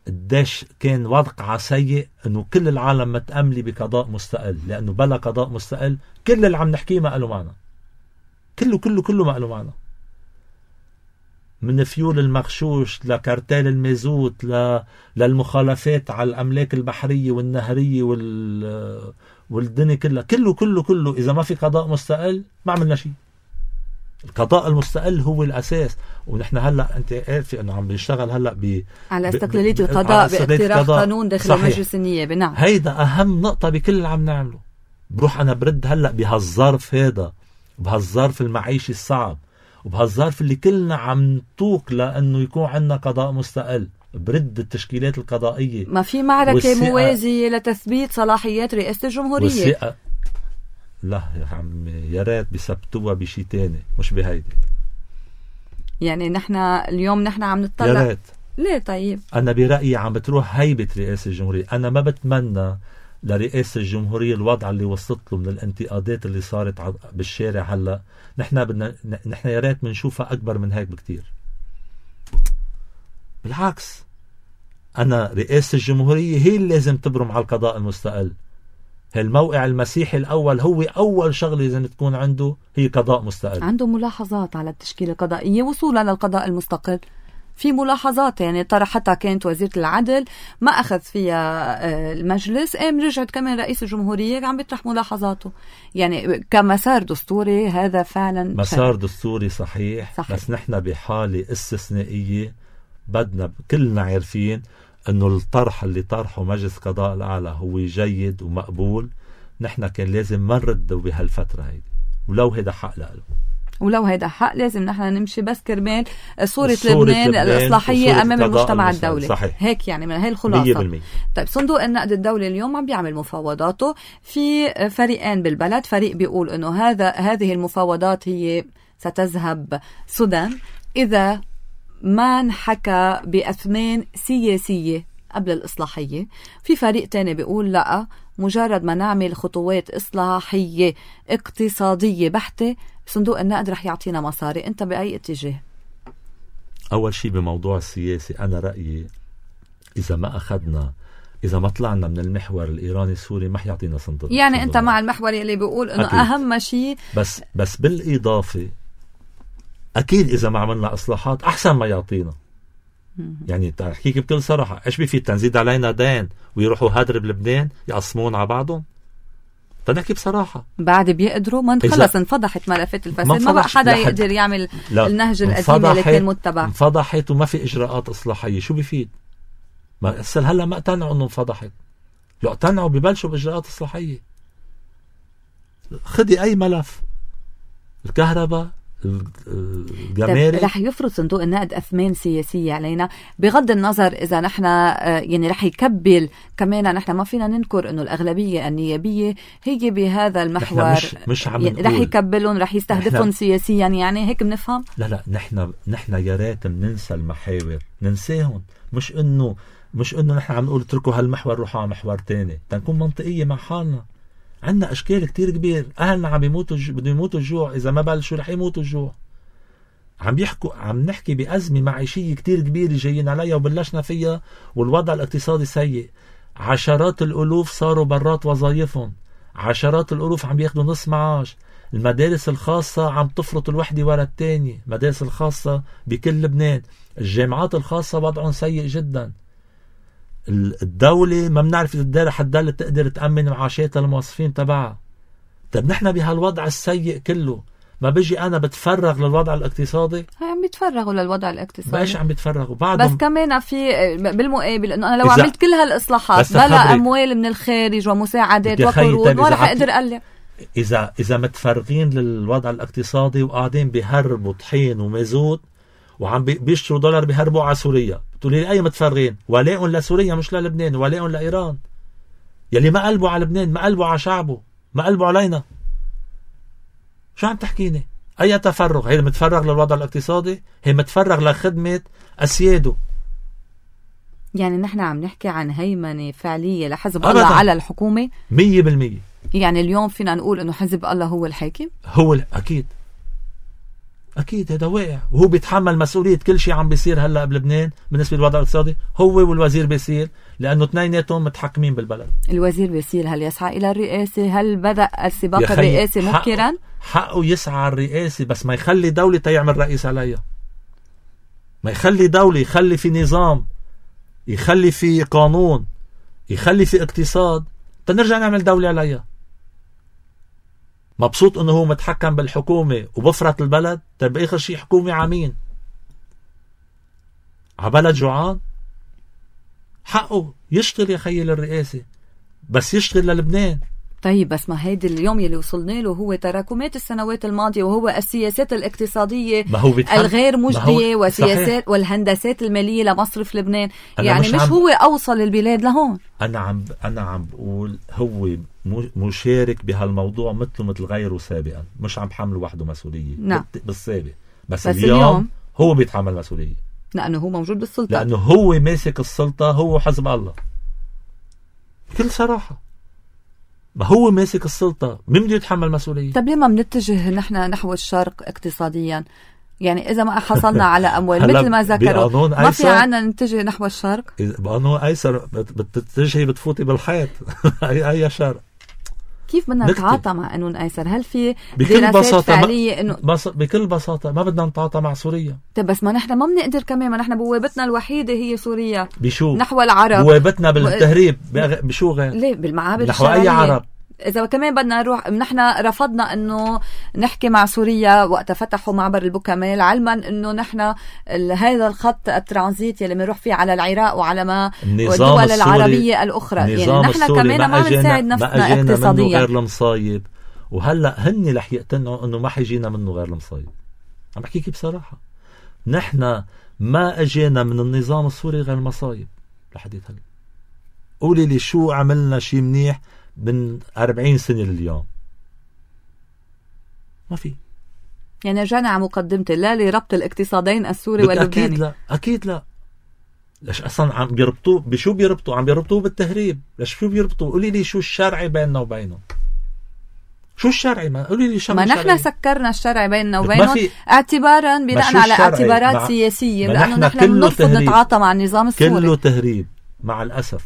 قديش كان وضع سيء، انه كل العالم متأملة بقضاء مستقل، لانه بلا قضاء مستقل كل اللي عم نحكيه ما قالوا معنا. كله ما قالوا معنا. من فيول المغشوش لكارتيل المازوت للمخالفات على الأملاك البحرية والنهرية والدنيا كلها. كله إذا ما في قضاء مستقل ما عملنا شيء. القضاء المستقل هو الأساس. ونحن هلأ أنت عارفة أنه عم بيشتغل هلأ على استقلالية القضاء باقتراح قانون داخل مجلس النيابة. نعم، هيدا أهم نقطة بكل اللي عم نعمله. بروح أنا برد هلأ بهالظرف هذا، بهالظرف المعيشي الصعب، وبهالظرف اللي كلنا عم نطوق لأنه يكون عندنا قضاء مستقل، برد التشكيلات القضائية. ما في معركة موازية لتثبيت صلاحيات رئاسة الجمهورية. لا يا عمي، يا ريت بيثبتوها بشي تاني مش بهيدي. يعني نحن اليوم عم نطلع. يا ريت. ليه طيب؟ أنا برأيي عم بتروح هيبة رئاسة الجمهورية. أنا ما بتمنى لرئاسة الجمهورية الوضع اللي وصلت له من الانتقادات اللي صارت بالشارع هلا. نحن يا ريت بنشوفها أكبر من هيك بكتير. بالعكس، أنا رئاسة الجمهورية هي اللي لازم تبرم على القضاء المستقل. الموقع المسيحي الأول هو أول شغلة لازم تكون عنده هي قضاء مستقل. عنده ملاحظات على التشكيلة القضائية وصولا للقضاء المستقل. في ملاحظات يعني طرحتها كانت وزيرة العدل ما أخذ فيها المجلس، رجعت كمان رئيس الجمهورية عم بيطرح ملاحظاته. يعني كمسار دستوري هذا فعلا مسار دستوري صحيح. بس نحن بحالة استثنائية بدنا كلنا عارفين أنه الطرح اللي طرحه مجلس قضاء الأعلى هو جيد ومقبول. نحن كان لازم ما نرده بهالفترة هيدي ولو هيدا حق له. ولو هيدا حق لازم نحن نمشي بس كرمال صورة لبنان الإصلاحية أمام المجتمع الدولي. صحيح. هيك يعني من هاي الخلاصة. طيب صندوق النقد الدولي اليوم عم بيعمل مفاوضاته في فريقين بالبلد. فريق بيقول إنه هذه المفاوضات هي ستذهب سدى إذا ما انحكى بأثمان سياسية قبل الإصلاحية. في فريق تاني بيقول لا، مجرد ما نعمل خطوات إصلاحية اقتصادية بحتة صندوق النقد رح يعطينا مصاري. انت بأي اتجاه؟ أول شيء بموضوع السياسي أنا رأيي إذا ما طلعنا من المحور الإيراني السوري ما حيعطينا صندوق. يعني أنت مع المحور اللي بيقول إنه أكيد. أهم شيء بس بالإضافة أكيد إذا ما عملنا إصلاحات أحسن ما يعطينا. يعني تحكيك بكل صراحة إيش بيفي تنزيد علينا دين ويروحوا هدر بلبنان يقسمون على بعضهم؟ تنحكي بصراحة بعد بيقدروا ما خلص انفضحت ملفات الفساد، ما بقى حدا يقدر يعمل النهج القديم اللي كان متبع. انفضحت وما في إجراءات إصلاحية، شو بيفيد؟ ما أسأل هلا ما اقتنعوا إنه انفضحت، لو اقتنعوا ببلشوا بإجراءات إصلاحية. خدي أي ملف، الكهرباء، الجمارك، رح يفرض صندوق النقد أثمان سياسية علينا بغض النظر إذا نحن يعني رح يكبل كمان. نحن ما فينا ننكر إنه الأغلبية النيابية هي بهذا المحور، مش عم يعني رح يكبلون، رح يستهدفون سياسيا، يعني هيك بنفهم. لا نحن يا ريت ننسى المحاور، ننساهم. مش إنه نحن عم نقول اتركوا هالمحور روحوا على محور تاني، تنكون منطقية مع حالنا. عندنا أشكال كتير كبير، أهلنا عم بدهم يموتوا الجوع، إذا ما بلشوا رح يموتوا الجوع. عم نحكي بأزمة معيشية كتير كبيرة جايين عليها وبلشنا فيها، والوضع الاقتصادي سيء. عشرات الألوف صاروا برات وظائفهم، عشرات الألوف عم بياخدوا نص معاش. المدارس الخاصة عم تفرط الوحدة ورا التانية، مدارس الخاصة بكل لبنان. الجامعات الخاصة وضعهم سيء جدا. الدولة ما بنعرف إذا حتضل تقدر تأمن معاشات الموظفين تبعها. طب نحن بهالوضع السيء كله ما بيجي أنا بتفرغ للوضع الاقتصادي؟ عم بيتفرغوا للوضع الاقتصادي، باش عم بيتفرغوا بس كمان في بالمقابل إنه أنا لو عملت كل هالإصلاحات بلا أموال من الخارج ومساعدات وقروض ما رح أقدر أقلع. إذا متفرغين للوضع الاقتصادي وقاعدين بيهربوا طحين ومازوت وعم بيشتروا دولار بيهربوا على سوريا، بتقولي لي أي متفرغين؟ ولاء لسوريا مش للبنان، ولاء لإيران يلي ما قلبوا على لبنان، ما قلبوا على شعبه، ما قلبوا علينا. شو عم تحكيني؟ أي تفرغ؟ هي متفرغ للوضع الاقتصادي، هي متفرغ لخدمة أسياده. يعني نحن عم نحكي عن هيمنة فعلية لحزب الله على الحكومة 100%. يعني اليوم فينا نقول إنه حزب الله هو الحاكم؟ هو أكيد هذا واقع، وهو بيتحمل مسؤولية كل شيء عم بيصير هلأ بلبنان بالنسبة للوضع الاقتصادي. هو والوزير بيصير، لأنه اثنيناتهم متحكمين بالبلد. الوزير بيصير هل يسعى إلى الرئاسة؟ هل بدأ السباق الرئاسي مبكرا؟ حقه يسعى الرئاسة، بس ما يخلي دولة يعمل رئيس عليها. ما يخلي دولة، يخلي في نظام، يخلي في قانون، يخلي في اقتصاد، تنرجع نعمل دولة عليها. مبسوط انه هو متحكم بالحكومة وبفرط البلد. طيب اخر شيء حكومة عمين عبلد جوعان، حقه يشتغل يا خيل الرئاسة، بس يشتغل للبنان. طيب بس ما هيدي اليوم يلي وصلنا له هو تراكمات السنوات الماضية، وهو السياسات الاقتصادية الغير مجدية وسياسات والهندسات المالية لمصرف لبنان. يعني مش هو أوصل البلاد لهون. أنا عم بقول هو مشارك بهالموضوع مثل غيره سابقا، مش عم بحمله وحده مسؤولية. نعم. بالسابق بس اليوم هو بيتحمل مسؤولية لأنه هو موجود بالسلطة، لأنه هو ماسك السلطة، هو حزب الله بكل صراحة. ما هو ماسك السلطة، مين بده يتحمل مسؤولية؟ طب ليه ما بنتجه نحن نحو الشرق اقتصاديا؟ يعني إذا ما حصلنا على أموال مثل ما ذكروا ما في عنا نتجه نحو الشرق. بقانون أيسر بتتجهي بتفوتي بالحيط. أي شرق؟ كيف بدنا نتعاطى مع قانون أيسر؟ هل في دراسات فعلية إنه بكل بساطة ما بدنا نتعاطى مع سوريا؟ طب بس ما نحن ما بنقدر كمان، ما نحن بوابتنا الوحيدة هي سوريا. بشو؟ نحو العرب. بوابتنا بالتهريب بشو غير؟ ليه؟ بالمعابر نحو أي عرب. إذا كمان بدنا نروح، نحن رفضنا إنه نحكي مع سوريا وقت فتحوا معبر البوكمال، علما إنه نحن هذا الخط الترانزيت يلي بنروح فيه على العراق وعلى ما والدول العربية الأخرى. يعني نحن كمان ما بنساعد نفسنا اقتصاديا. غير المصايب وهلأ هني رح يقتنعوا انه ما حيجينا منه غير المصايب. عم بحكيكي بصراحة، نحن ما اجينا من النظام السوري غير المصايب لحديت هلا. قولي لي شو عملنا شي منيح من 40 سنة لليوم؟ ما في. يعني رجعنا على مقدمتي، لا لربط الاقتصادين السوري واللبناني. أكيد لا، أكيد لا. ليش أصلا عم بيربطوه بشو بيربطوا؟ عم بيربطوه بالتهريب. ليش شو بيربطوا؟ قولي لي شو الشرعي بيننا وبينهم؟ شو الشرعي؟ ما قولي لي شو. ما نحن سكرنا الشرعي بيننا وبينهم اعتبارا بناء على اعتبارات سياسية، لأنه نحن بنرفض نتعاطى مع النظام السوري. كله تهريب مع الأسف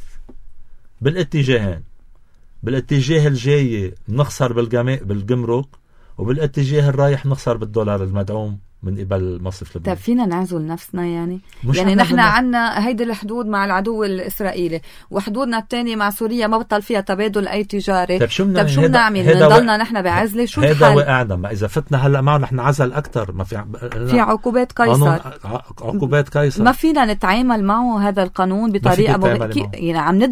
بالاتجاهين. بالاتجاه الجاي نخسر بالجمرك، وبالاتجاه الرايح نخسر بالدولار المدعوم من قبل مصرف لبنان. طيب فينا نعزل نفسنا يعني نحن عنا هيدي الحدود مع العدو الإسرائيلي، وحدودنا الثانية مع سوريا ما بطل فيها تبادل أي تجاري. طيب شو بنعمل؟ نضلنا نحن بعزلة؟ شو الحل؟ هذا وقعنا. ما إذا فتنا هلأ معه نحن عزل أكتر. ما في عقوبات قيصر. عقوبات قيصر ما فينا نتعامل معه هذا القانون بطريقة يعني عم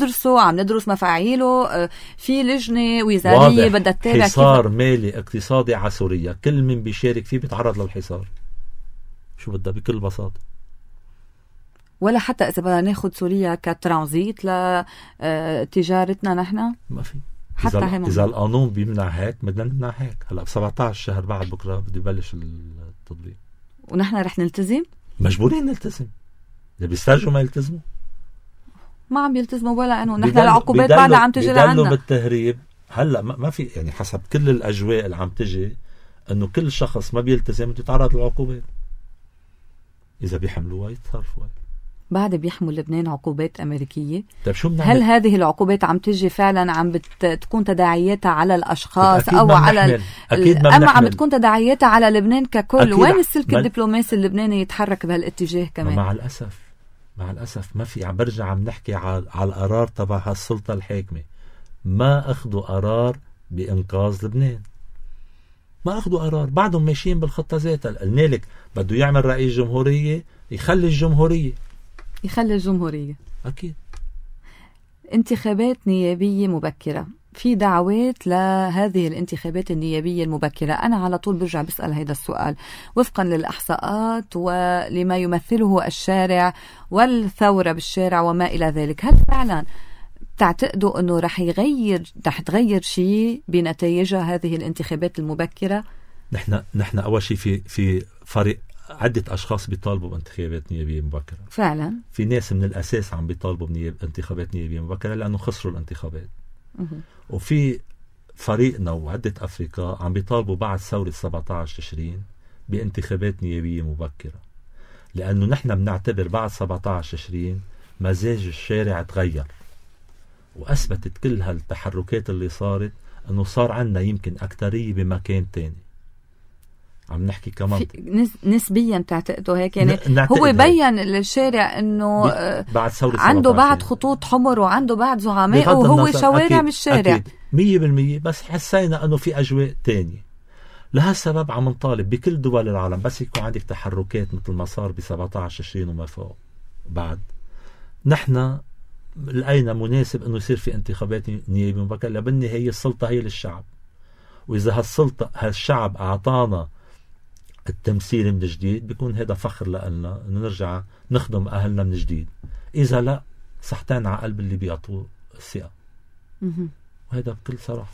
ندرس مفاعيله. في لجنة وزارية بدها تتابع حصار مالي اقتصادي على سوريا، كل من بيشارك فيه بيتعرض للحصار. شو بدها بكل بساطة. ولا حتى إذا بدنا ناخد سوريا كترانزيت لتجارتنا نحن ما في. حتى إذا القانون بيمنع هيك بدنا نمنع هيك. هلا ب 17 شهر بعد بكرة بده يبلش التطبيق، ونحن رح نلتزم. مجبورين نلتزم. إذا بيسترجوا ما يلتزموا. ما عم بيلتزموا ولا إنه نحن العقوبات بعدها عم تجي لعنا. بيدلوا بالتهريب. هلا ما في يعني حسب كل الأجواء اللي عم تجي إنه كل شخص ما بيلتزم يتعرض للعقوبات. إذا بيحملوها يتصرفوا. بعد بيحمل لبنان عقوبات أمريكية. طيب شو بنعمل؟ هل هذه العقوبات عم تجي فعلا عم تكون تداعياتها على الأشخاص أو على أما عم تكون تداعياتها على لبنان ككل؟ وين السلك الدبلوماسي اللبناني يتحرك بهالاتجاه كمان؟ مع الأسف ما في. عم برجع عم نحكي على القرار تبع هالسلطة الحاكمة. ما أخذوا قرار بإنقاذ لبنان. ما أخذوا قرار. بعدهم ماشيين بالخطة ذاتها. قلنا لك بده يعمل رئيس جمهورية، يخلي الجمهورية. أكيد. انتخابات نيابية مبكرة، في دعوات لهذه الانتخابات النيابية المبكرة. أنا على طول برجع بسأل هذا السؤال وفقا للإحصاءات ولما يمثله الشارع والثورة بالشارع وما إلى ذلك. هل فعلا تعتقدوا أنه رح تغير شيء بنتائجها هذه الانتخابات المبكرة؟ نحن أول شيء في فريق عدة أشخاص بيطالبوا بانتخابات نيابية مبكرة. فعلا في ناس من الأساس عم بيطالبوا بانتخابات نيابية مبكرة لأنه خسروا الانتخابات. وفي فريقنا وعدة أفريقيا عم بيطالبوا بعد ثورة 17 تشرين بانتخابات نيابية مبكرة، لأنه نحن بنعتبر بعد 17 تشرين مزاج الشارع تغير، وأثبتت كل هالتحركات اللي صارت أنه صار عنا يمكن أكترية بمكان تاني. عم نحكي كمان نسبيا بتعتقدوا هيك؟ يعني هو بيّن للشارع انه بعد ثورة عنده بعد خطوط حمر وعنده بعد زعماء وهو شوارع من الشارع. 100%. بس حسينا انه في اجواء تانية. لهالسبب عم نطالب بكل دول العالم بس يكون عندك تحركات مثل ما صار ب 17 تشرين وما فوق. بعد نحن لقينا مناسب انه يصير في انتخابات نيابية مبكرة، بالنهاية السلطة هي للشعب، واذا هالشعب اعطانا التمثيل من جديد بيكون هذا فخر لنا انه نرجع نخدم اهلنا من جديد. اذا لا صحتين على قلب اللي بيعطوه الثقة. وهذا بكل صراحة،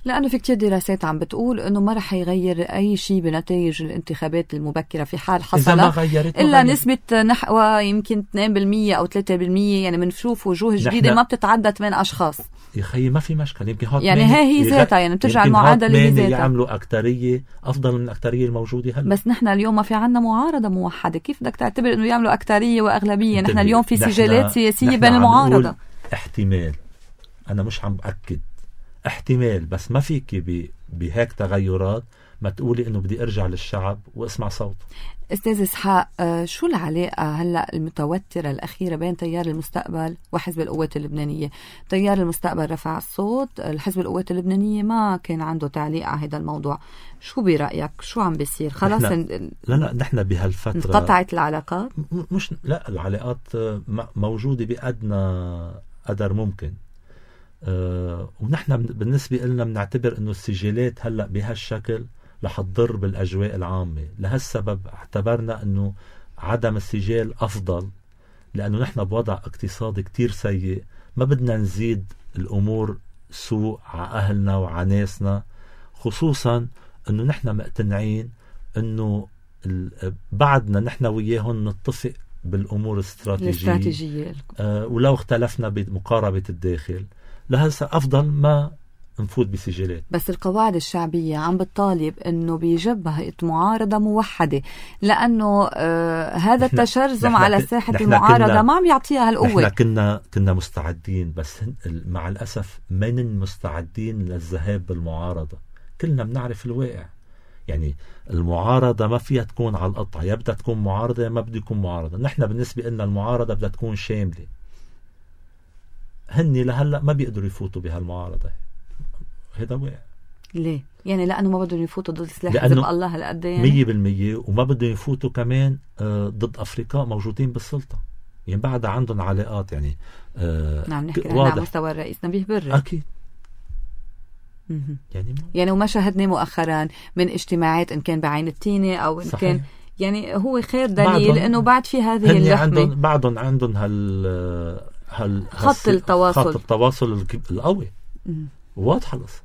لأنه في كتير دراسات عم بتقول أنه ما رح يغير أي شيء بنتائج الانتخابات المبكرة في حال حصل إلا نسبة نحو يمكن 2% أو 3%. يعني منشوف وجوه جديدة ما بتتعدى 8 أشخاص. يا خيي ما في مشكلة. يمكن يعني هي ذاتها يعني بترجع المعادلة هي ذاتها. يعملوا أكترية أفضل من الأكترية الموجودة هلا. بس نحن اليوم ما في عنا معارضة موحدة. كيف بدك تعتبر أنه يعملوا أكترية وأغلبية؟ نحن اليوم في سجالات سياسية بين المعارضة. احتمال، أنا مش عم بأكد، احتمال، بس ما فيك بهيك تغيرات ما تقولي انه بدي ارجع للشعب واسمع صوته. استاذ اسحاق، شو العلاقة هلأ المتوترة الأخيرة بين تيار المستقبل وحزب القوات اللبنانية؟ تيار المستقبل رفع الصوت، الحزب القوات اللبنانية ما كان عنده تعليق على هذا الموضوع. شو برأيك؟ شو عم بيصير؟ خلاص لا نحن بهالفترة انقطعت العلاقات؟ مش لا، العلاقات موجودة بأدنى قدر ممكن، ونحن بالنسبة لنا بنعتبر أنه السجلات هلأ بهالشكل رح تضر بالأجواء العامة. لهالسبب اعتبرنا أنه عدم السجال أفضل، لأنه نحن بوضع اقتصادي كتير سيء، ما بدنا نزيد الأمور سوء على أهلنا وعلى ناسنا، خصوصا أنه نحن مقتنعين أنه بعدنا نحن وياهم نتفق بالأمور الاستراتيجية ولو اختلفنا بمقاربة الداخل، لهذا أفضل ما نفوت بسجلات. بس القواعد الشعبية عم بتطالب انه بيجب هيئة معارضة موحدة، لانه هذا التشرذم على ساحة المعارضة ما عم يعطيها هالقوة. نحن كنا مستعدين، بس مع الأسف من مستعدين للذهاب بالمعارضة. كلنا بنعرف الواقع، يعني المعارضة ما فيها تكون على القطع، يا بدها تكون معارضة يا ما بدها تكون معارضة. نحن بالنسبة لنا المعارضة بدها تكون شاملة. هني لهلأ ما بيقدروا يفوتوا بهالمعارضة، هذا واقع. ليه؟ يعني لأنه ما بدهم يفوتوا ضد سلاح حزب الله هالقد يعني 100%، وما بدهم يفوتوا كمان ضد أفريقيا موجودين بالسلطة، يعني بعد عندهم علاقات. يعني نعم نحكي على مستوى الرئيس نبيه بري أكيد. يعني وما شاهدنا مؤخرا من اجتماعات إن كان بعين التينة أو إن صحيح. كان يعني هو خير دليل إنه بعد في هذه اللحمة بعدهم عندهم خط التواصل القوي واضحة القصة.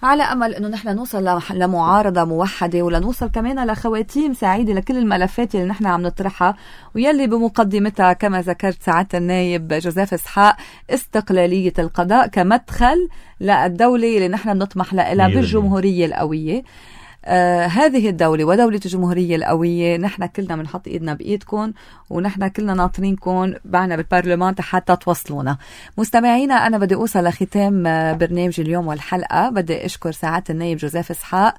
على أمل أنه نحن نوصل لمعارضة موحدة، ولنوصل كمان لخواتيم سعيدة لكل الملفات اللي نحن عم نطرحها، ويلي بمقدمتها كما ذكرت سعادة النايب جوزيف إسحاق استقلالية القضاء كمدخل للدولة اللي نحن نطمح لها بالجمهورية القوية. هذه الدولة ودولة الجمهورية القوية نحن كلنا بنحط ايدنا بايدكم، ونحن كلنا ناطرينكم بعنا بالبرلمان حتى توصلونا. مستمعينا، انا بدي اوصل لختام برنامج اليوم والحلقة. بدي اشكر سعادة النايب جوزيف إسحاق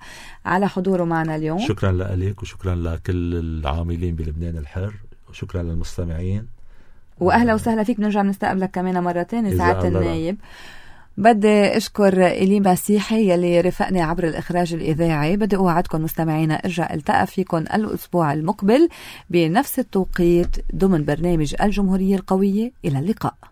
على حضوره معنا اليوم. شكرا لك وشكرا لكل العاملين بلبنان الحر، وشكرا للمستمعين، واهلا وسهلا فيك. بنرجع نستقبلك كمان مرة تانية سعادة النايب. بدي أشكر إلي مسيحي يلي رفقني عبر الإخراج الإذاعي. بدي أوعدكم مستمعينا أرجع التقى فيكم الأسبوع المقبل بنفس التوقيت ضمن برنامج الجمهورية القوية. إلى اللقاء.